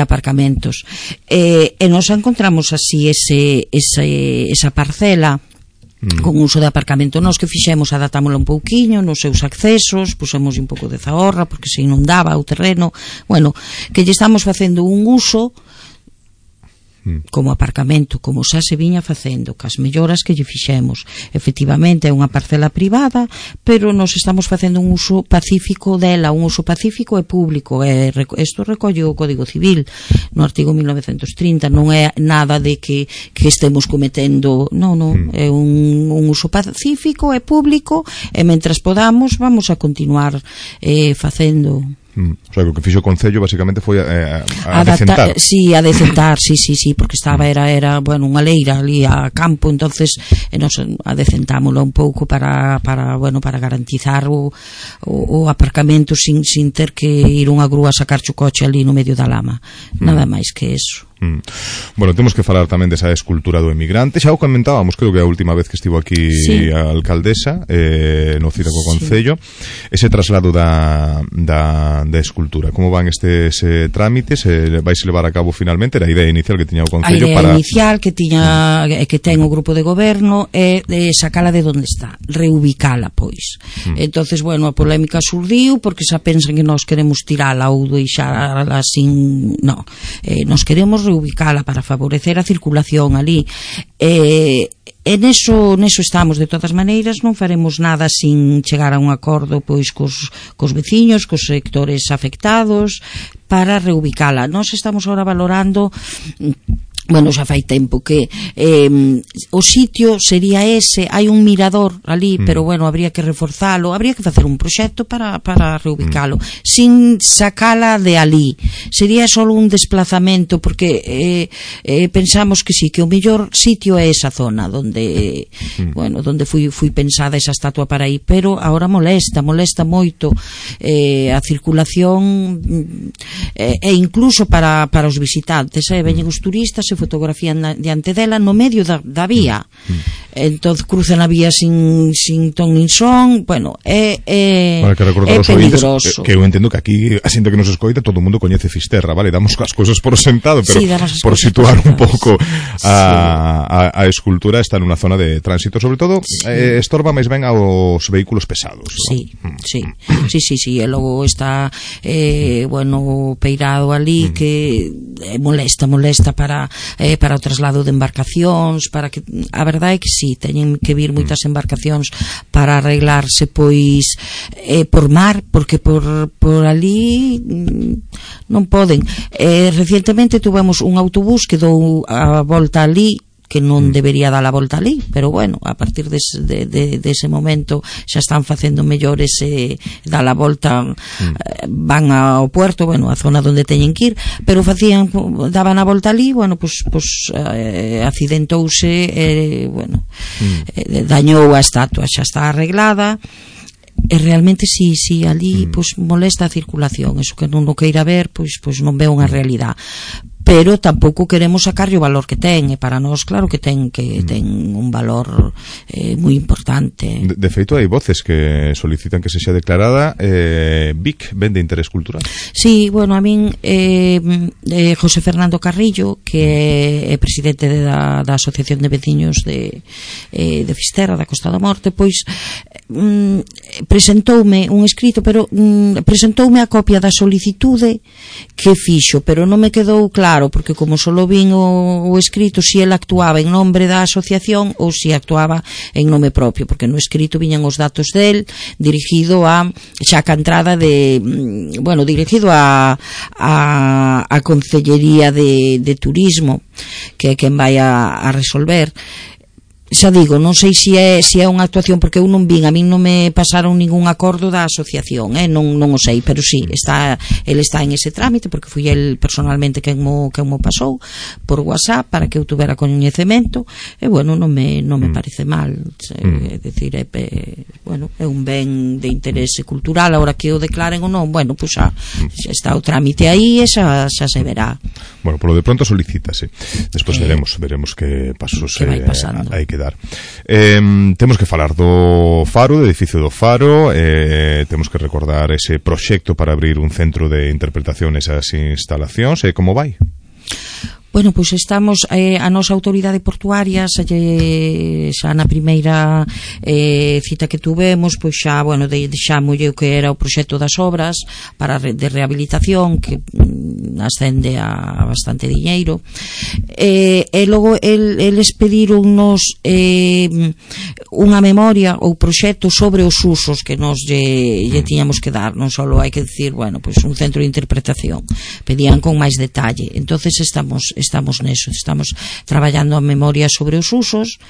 aparcamentos, e nós encontramos así esa parcela con uso de aparcamento. Nós que fixemos, adaptámosla un pouquiño nos seus accesos, pusemos un pouco de zahorra porque se inundaba o terreno, bueno, que lle estamos facendo un uso como aparcamento, como xa se viña facendo, cas melloras que lle fixemos. Efectivamente é unha parcela privada, pero nos estamos facendo un uso pacífico dela, un uso pacífico e público. Isto recolle o Código Civil no artigo 1930, non é nada de que estemos cometendo, non, é un uso pacífico e público, e mentras podamos vamos a continuar facendo. O sea, o que fixo o Concello basicamente foi a decentar. Sí, a decentar, sí, porque estaba era bueno, unha leira ali a campo, entonces nos adecentámoslo un pouco para garantizar o aparcamento sin ter que ir unha grúa a sacar o coche ali no medio da lama. Nada máis que eso. Bueno, temos que falar tamén desa escultura do emigrante. Xa o comentábamos, creo que a última vez que estivo aquí a alcaldesa no Cida co Concello, ese traslado da escultura. Como van estes trámites? Vais levar a cabo finalmente? Era a idea inicial que tiña o Concello para... A idea inicial que ten o grupo de goberno é de sacala de onde está, reubicala, pois. Entonces, bueno, a polémica surdiu porque xa pensan que nós queremos tirala ou deixala sin... No, nos queremos reubicala para favorecer a circulación ali, e neso estamos. De todas maneiras non faremos nada sin chegar a un acordo pois cos veciños, cos sectores afectados, para reubicala. Nós estamos agora valorando, bueno, xa fai tempo que o sitio sería ese, hai un mirador ali, pero bueno, habría que reforzalo, habría que facer un proxecto para reubicalo, sin sacala de ali. Sería só un desplazamento, porque pensamos que sí, que o mellor sitio é esa zona donde donde foi pensada esa estatua para aí, pero agora molesta moito a circulación. e incluso para os visitantes, veñen os turistas e fotografían diante dela no medio da vía, entón cruzan a vía sin ton nin son, bueno, é peligroso. Que eu entendo que aquí a xente que nos escoita, todo o mundo coñece Fisterra, vale, damos as cousas por sentado, pero sí, por situar un pouco a escultura está nunha zona de tránsito, sobre todo estorba máis ben aos vehículos pesados. Sí, e logo está bueno, peirado ali que molesta para o traslado de embarcacións, para que a verdade é que sí, teñen que vir moitas embarcacións para arreglarse pois por mar, porque por ali non poden. Recientemente tuvemos un autobús que dou a volta ali, que non debería dar a volta ali, pero bueno, a partir dese momento xa están facendo mellores e dar a volta, van ao puerto, bueno, a zona onde teñen que ir, pero daban a volta ali, bueno, pues accidentouse, bueno, dañou a estatua, xa está arreglada. E realmente si ali pois molesta a circulación, eso que non o queira ver, pois non ve unha realidade. Pero tampouco queremos sacarlle o valor que ten, e para nós claro que ten un valor moi importante. De feito hai voces que solicitan que se xa declarada BIC, ben de interés cultural. Sí, bueno, a min José Fernando Carrillo, que é presidente da Asociación de Veciños de Fisterra, da Costa da Morte, pois presentoume un escrito, pero presentoume a copia da solicitude que fixo, pero non me quedou claro, porque como solo vin o escrito si ele actuaba en nombre da asociación ou si actuaba en nome propio, porque no escrito viñan os datos del dirigido a xa a entrada dirigido a Concellería de Turismo, que é quen vai a resolver. Xa digo, non sei se é unha actuación, porque eu non vin, a min non me pasaron ningún acordo da asociación, non o sei, pero sí, ele está en ese trámite, porque fui el personalmente quen mo pasou por WhatsApp para que eu tuvera coñecemento, e bueno, non me parece mal, é dicir, bueno, é un ben de interese cultural, agora que o declaren ou non, bueno, pues xa está o trámite aí e xa se verá. Bueno, polo de pronto solicítase, despois veremos que pasos hai que dar. Temos que falar do Faro, do edificio do Faro, temos que recordar ese proxecto para abrir un centro de interpretación nesas instalacións, como vai? Bueno, pois estamos a nosa autoridade portuaria xa na primeira cita que tuvemos, pois xa, bueno, deixámolle o que era o proxecto das obras de rehabilitación, que ascende a bastante diñeiro, e logo eles pedironnos unha memoria ou proxecto sobre os usos que nos lle tiñamos que dar, non só hai que dicir, bueno, pois un centro de interpretación, pedían con máis detalle, entonces estamos neso, estamos traballando a memoria sobre os usos.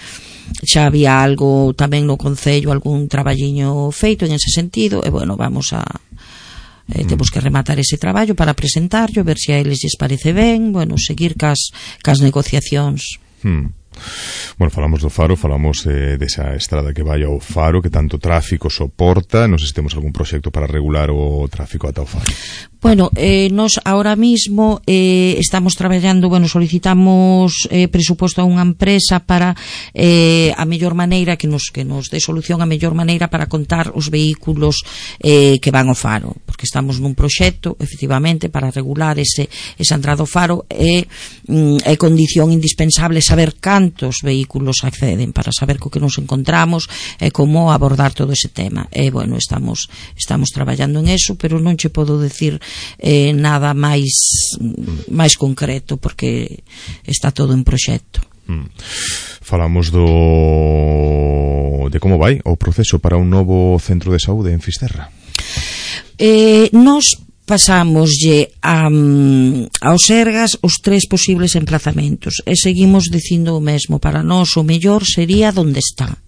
Xa había algo tamén no Concello, algún traballiño feito en ese sentido, e bueno, vamos a temos que rematar ese traballo para presentarlo, ver se a eles lles parece ben, bueno, seguir cas negociacións. Bueno, falamos do Faro, falamos desa estrada que vai ao Faro, que tanto tráfico soporta. Non sei se temos algún proxecto para regular o tráfico ata o Faro. Bueno, nos ahora mismo estamos traballando, bueno, solicitamos presuposto a unha empresa para a mellor maneira que nos dé solución, a mellor maneira para contar os vehículos que van ao Faro, porque estamos nun proxecto, efectivamente, para regular esa entrada ao Faro, é condición indispensable saber cantos vehículos acceden, para saber co que nos encontramos e como abordar todo ese tema. E, bueno, estamos traballando en eso, pero non che podo decir nada máis concreto, porque está todo en proxecto. Falamos de como vai o proceso para un novo centro de saúde en Fisterra. Nos pasámoslle aos Sergas os 3 posibles emplazamentos e seguimos dicindo o mesmo. Para nós o mellor sería donde está.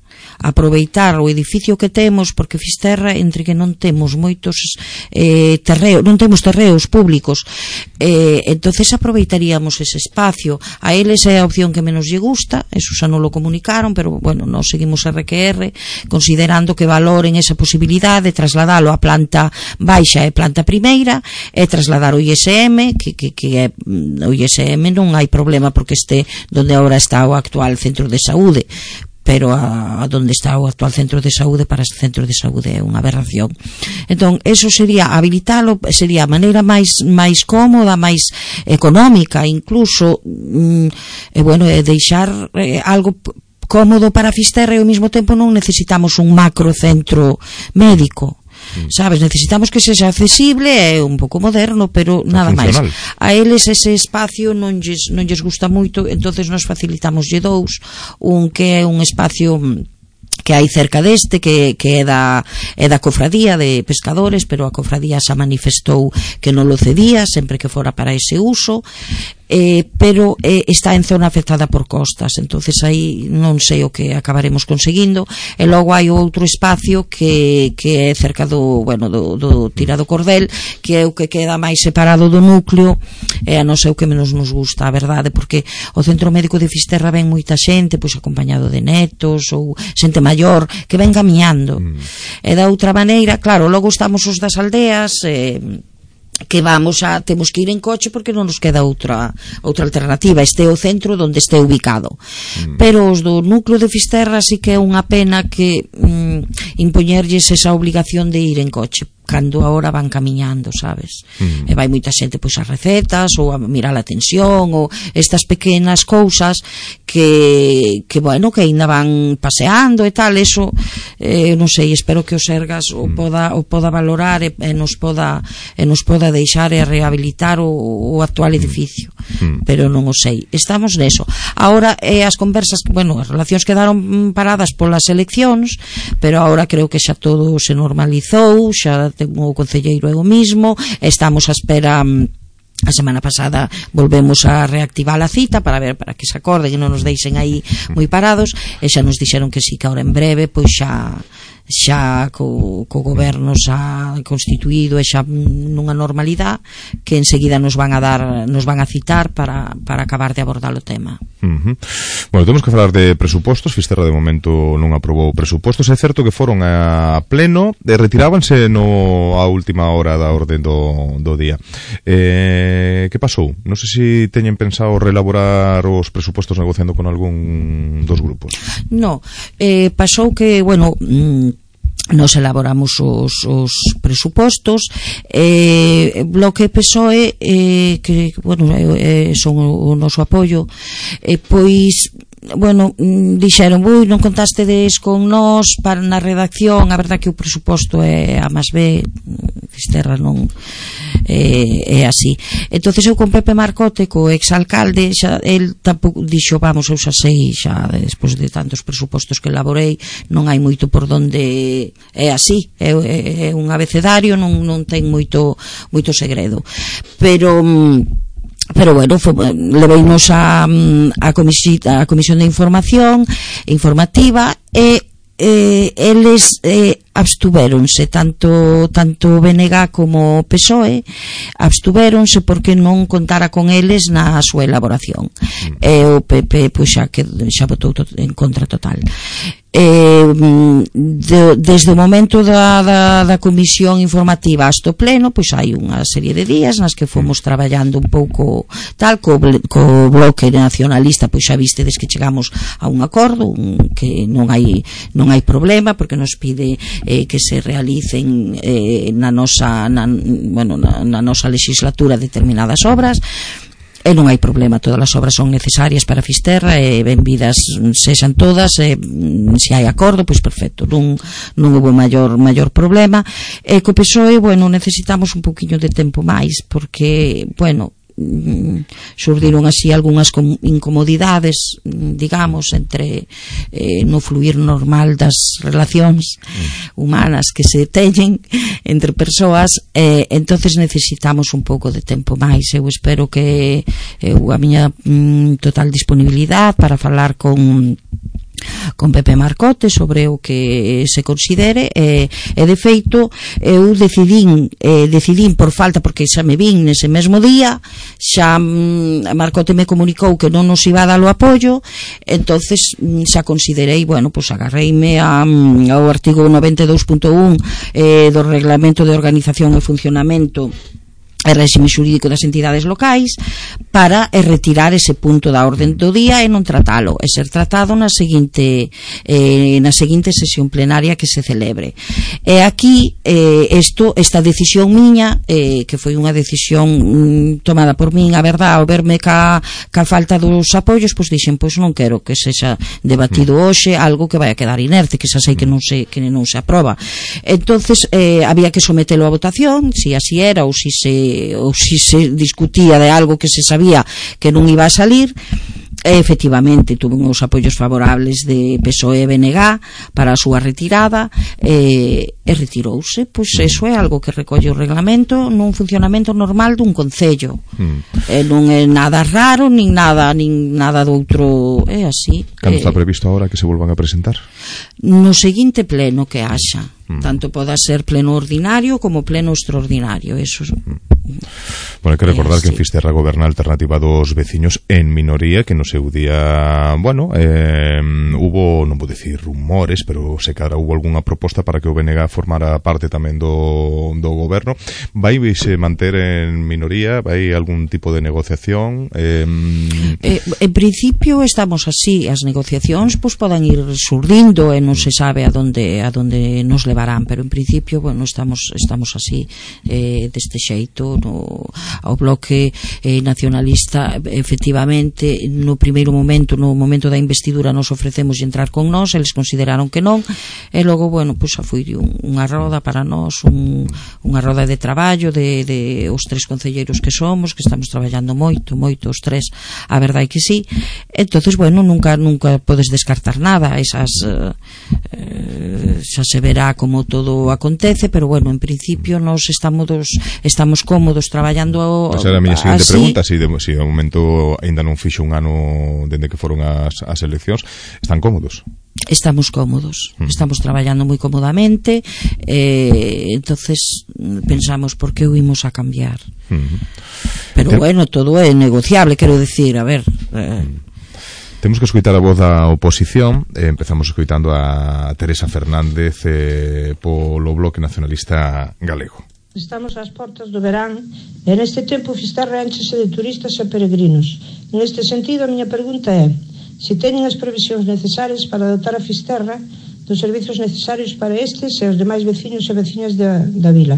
aproveitar o edificio que temos, porque Fisterra, entre que non temos moitos non temos terreos públicos, entonces aproveitaríamos ese espacio. A eles é a opción que menos lle gusta, eso xa non lo comunicaron, pero bueno, nos seguimos RQR considerando que valoren esa posibilidade de trasladalo a planta baixa e planta primeira e trasladar o ISM, que é o ISM non hai problema porque este donde agora está o actual centro de saúde, pero a donde está o actual centro de saúde para este centro de saúde é unha aberración. Entón, eso sería habilitalo, sería a maneira máis cómoda, máis económica incluso, deixar algo cómodo para Fisterra e ao mesmo tempo non necesitamos un macro centro médico. Sabes, necesitamos que sexa accesible e un pouco moderno, pero nada máis. A eles ese espacio non lles gusta moito, entonces nos facilitamoslle dous, un que é un espacio que hai cerca deste que é da cofradía de pescadores, pero a cofradía xa manifestou que non lo cedía sempre que fora para ese uso, pero está en zona afectada por costas, entonces aí non sei o que acabaremos conseguindo. E logo hai outro espacio que é cerca do Tirado Cordel, que é o que queda máis separado do núcleo, e a non sei o que menos nos gusta, a verdade, porque o Centro Médico de Fisterra ven moita xente, pois acompañado de netos ou xente maior que ven camiñando, e da outra maneira, claro, logo estamos os das aldeas, que temos que ir en coche porque non nos queda outra alternativa, este é o centro onde este ubicado. Pero os do núcleo de Fisterra sí que é unha pena que impoñerlles esa obligación de ir en coche cando agora van camiñando, sabes? E vai moita xente pois a recetas ou a mirar a tensión ou estas pequenas cousas que ainda van paseando e tal, eso non sei, espero que o Sergas o poda valorar e nos poda deixar e rehabilitar o actual edificio, pero non o sei, estamos neso. Agora as conversas, as relacións quedaron paradas polas eleccións, pero agora creo que xa todo se normalizou, xa o concelleiro é o mismo, estamos a espera. A semana pasada volvemos a reactivar a cita para que se acorden e non nos deixen aí moi parados, e xa nos dixeron que sí, que ahora en breve pois xa co goberno xa constituído e xa nunha normalidade, que enseguida nos van a citar para acabar de abordar o tema. Bueno, temos que falar de presupostos. Fisterra de momento non aprobou presupostos. É certo que foron a pleno e retirábanse a última hora da orde do día. Que pasou? Non sei se teñen pensado reelaborar os presupostos negociando con algún dos grupos. No, pasou que, nos elaboramos os presupostos, Bloque PSOE, que son o noso apoio, pois dixeron, non contastedes con nós para na redacción. A verdad que o presuposto é A más B, Fisterra non é así. Entonces eu con Pepe Marcote, co exalcalde, el tampouco dixo, eu xa sei, xa despois de tantos presupostos que elaborei, non hai moito por donde é así, é un abecedario, non ten moito segredo, pero leveimos a Comisión de Informativa e eles abstuvéronse, tanto BNG como PSOE abstuvéronse porque non contara con eles na súa elaboración, e o PP xa votou en contra total. Desde o momento da comisión informativa hasta o pleno, pois hai unha serie de días nas que fomos traballando un pouco tal, co Bloque Nacionalista, pois xa vistedes que chegamos a un acordo, que non hai problema, porque nos pide que se realicen na nosa legislatura determinadas obras. E non hai problema, todas as obras son necesarias para Fisterra e benvidas sexan todas, se hai acordo, pois perfecto, non houve maior problema. E co PSOE, necesitamos un poquinho de tempo máis, porque, xurdiron así algunhas incomodidades, digamos, entre no fluir normal das relacións humanas que se teñen entre persoas, entonces necesitamos un pouco de tempo máis. Eu espero que a miña total disponibilidade para falar con Pepe Marcote sobre o que se considere, e de feito eu decidín por falta, porque xa me vin nese mesmo día, xa Marcote me comunicou que non nos iba a dar o apoio, entonces xa considerei, bueno, pois agarreime ao artigo 92.1 do Reglamento de Organización e Funcionamento e réxime xurídico das entidades locais para retirar ese punto da orden do día e non tratalo, e ser tratado na seguinte sesión plenaria que se celebre. E aquí esta decisión miña, que foi unha decisión tomada por min, a verdade, ao verme ca falta dos apoios, pois dixen, pois non quero que sexa debatido hoxe algo que vai a quedar inerte, que xa sei que non se aproba. Entonces había que sometelo a votación, si así era ou si se discutía de algo que se sabía que non iba a salir. Efectivamente tuve uns apoios favorables de PSOE e BNG para a súa retirada, e retirouse. Pois eso é algo que recolle o reglamento nun funcionamento normal dun concello, non é nada raro nin nada do outro, é así. Cando está previsto agora que se volvan a presentar? No seguinte pleno que haxa, tanto poda ser pleno ordinario como pleno extraordinario, eso. Bueno, hai que recordar que en Fisterra goberna a alternativa dos veciños en minoría, que no seu día, bueno, hubo, non vou dicir rumores, pero se cara hubo algunha proposta para que o BNG formara parte tamén do goberno. Vai se manter en minoría? Vai algún tipo de negociación? En principio estamos así, as negociacións pois poden ir surdindo e non se sabe a donde nos levarán, pero en principio, bueno, estamos así, deste xeito. Ao bloque nacionalista, efectivamente, no momento da investidura nos ofrecemos entrar con nós, eles consideraron que non, e logo, bueno, pois foi unha roda para nós, unha roda de traballo de os tres concelleiros que somos, que estamos traballando moito os tres, a verdade que sí. Entonces, bueno, nunca podes descartar nada, esas xa se verá como todo acontece, pero bueno, en principio nós estamos cómodos traballando. Esa era a miña seguinte pregunta, se ao momento ainda non fixo un ano dende que foron as eleccións, están cómodos? Estamos cómodos, estamos traballando moi cómodamente, entonces pensamos por que o imos a cambiar. Pero bueno, todo é negociable, quero decir, a ver... Temos que escoitar a voz da oposición. Empezamos escoitando a Teresa Fernández polo Bloque Nacionalista Galego. Estamos ás portas do verán e neste tempo Fisterra énchese de turistas e peregrinos. Neste sentido, a miña pregunta é se teñen as previsións necesarias para dotar a Fisterra dos servizos necesarios para estes e os demais veciños e veciñas da vila.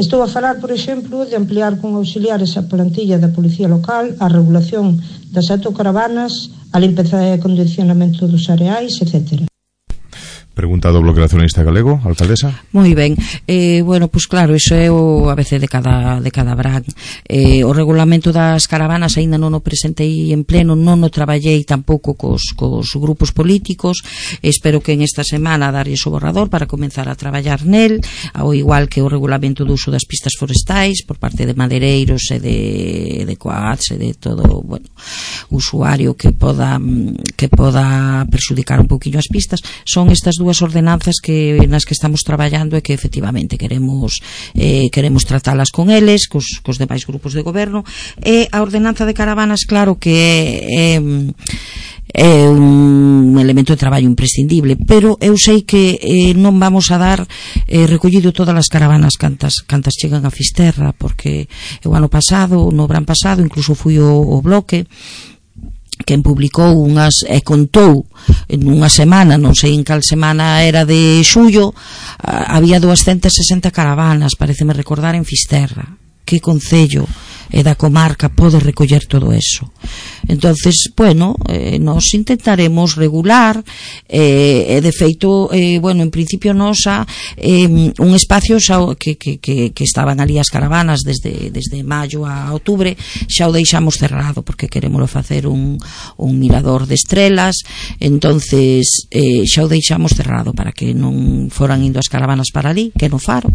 Estou a falar, por exemplo, de ampliar con auxiliares a plantilla da Policía Local, a regulación das autocaravanas, a limpeza e acondicionamento dos areais, etc. Pregunta do Bloque Nacionalista Galego, alcaldesa. Moi ben, bueno, pois claro, iso é o ABC de cada brán. O regulamento das caravanas aínda non o presentei en pleno, non o traballei tampouco cos grupos políticos. Espero que en esta semana darlles o borrador para comenzar a traballar nel, ao igual que o regulamento do uso das pistas forestais por parte de madeireiros e de coats e de todo, bueno, usuario que poda perxudicar un pouquiño as pistas. Son estas dúas ordenanzas nas que estamos traballando e que efectivamente queremos tratalas con eles, cos demais grupos de goberno. E a ordenanza de caravanas, claro que é un elemento de traballo imprescindible, pero eu sei que non vamos a dar recollido todas as caravanas cantas chegan a Fisterra, porque o ano pasado, no verán pasado, incluso fui o Bloque quen publicou unhas e contou en unha semana, non sei en cal semana era de xullo, había 260 caravanas, pareceme recordar, en Fisterra. Que concello e da comarca pode recoller todo eso? Entonces, bueno, nos intentaremos regular, e de feito, bueno, en principio nos un espacio que estaban ali as caravanas desde maio a outubro, xa o deixamos cerrado porque queremos facer un mirador de estrelas. Entonces xa o deixamos cerrado para que non foran indo as caravanas para ali, que no Faro.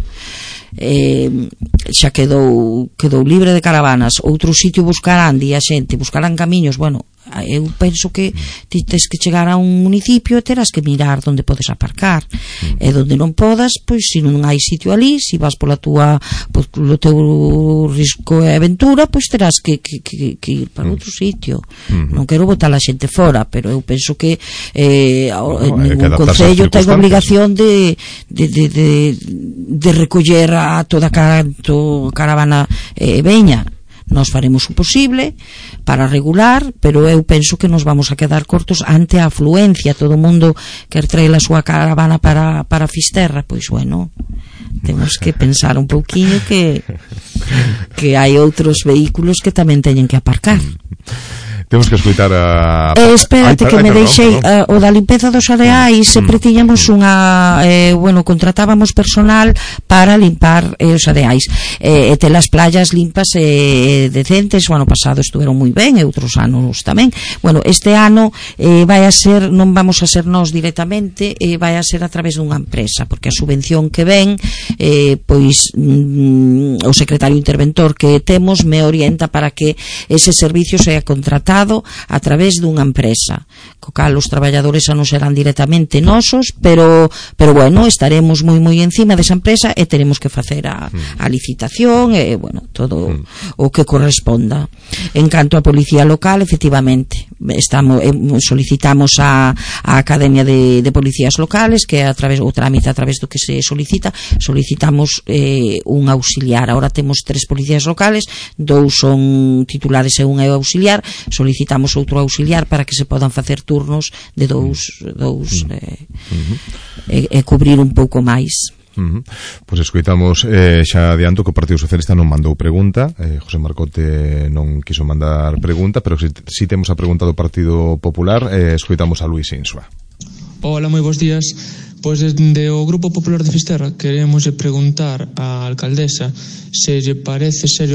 Xa quedou libre de caravanas caravanas, outro sitio buscarán, di a xente, buscarán camiños, bueno, eu penso que ti tes que chegar a un municipio e terás que mirar onde podes aparcar, e onde non podas, pois se non hai sitio ali, se vas polo teu risco e aventura, pois terás que ir para outro sitio. Non quero botar a xente fora, pero eu penso que ningún concello ten obligación de recoller a toda caravana veña. Nos faremos o posible para regular, pero eu penso que nos vamos a quedar cortos ante a afluencia. Todo o mundo quer traer a súa caravana para Fisterra, pois bueno, temos que pensar un pouquiño que hai outros vehículos que tamén teñen que aparcar. Temos que escoitar a... espérate que me deixei o da limpeza dos areais. Sempre tiñamos unha contratábamos personal para limpar os areais e ter as playas limpas e decentes. O ano pasado estuveron moi ben e outros anos tamén. Bueno, este ano vai a ser, non vamos a ser nós directamente, vai a ser a través dunha empresa, porque a subvención que ven pois o secretario interventor que temos me orienta para que ese servicio sea contratado a través dunha empresa, co cal os traballadores xa non serán directamente nosos, pero bueno, estaremos moi encima desa empresa e teremos que facer a licitación e bueno, todo o que corresponda. En canto a policía local, efectivamente solicitamos a Academia de Policías Locales, que a través o trámite a través do que se solicitamos un auxiliar. Ahora temos 3 policías locales, 2 son titulares e un é auxiliar. Solicitamos outro auxiliar para que se podan facer turnos de dous e cubrir un pouco máis. Pois escoitamos, xa adianto que o Partido Socialista non mandou pregunta, José Marcote non quiso mandar pregunta, pero si temos a pregunta do Partido Popular, escoitamos a Luís Insua. Hola, moi bons días. Pois desde o Grupo Popular de Fisterra queremos preguntar á alcaldesa se lle parece serio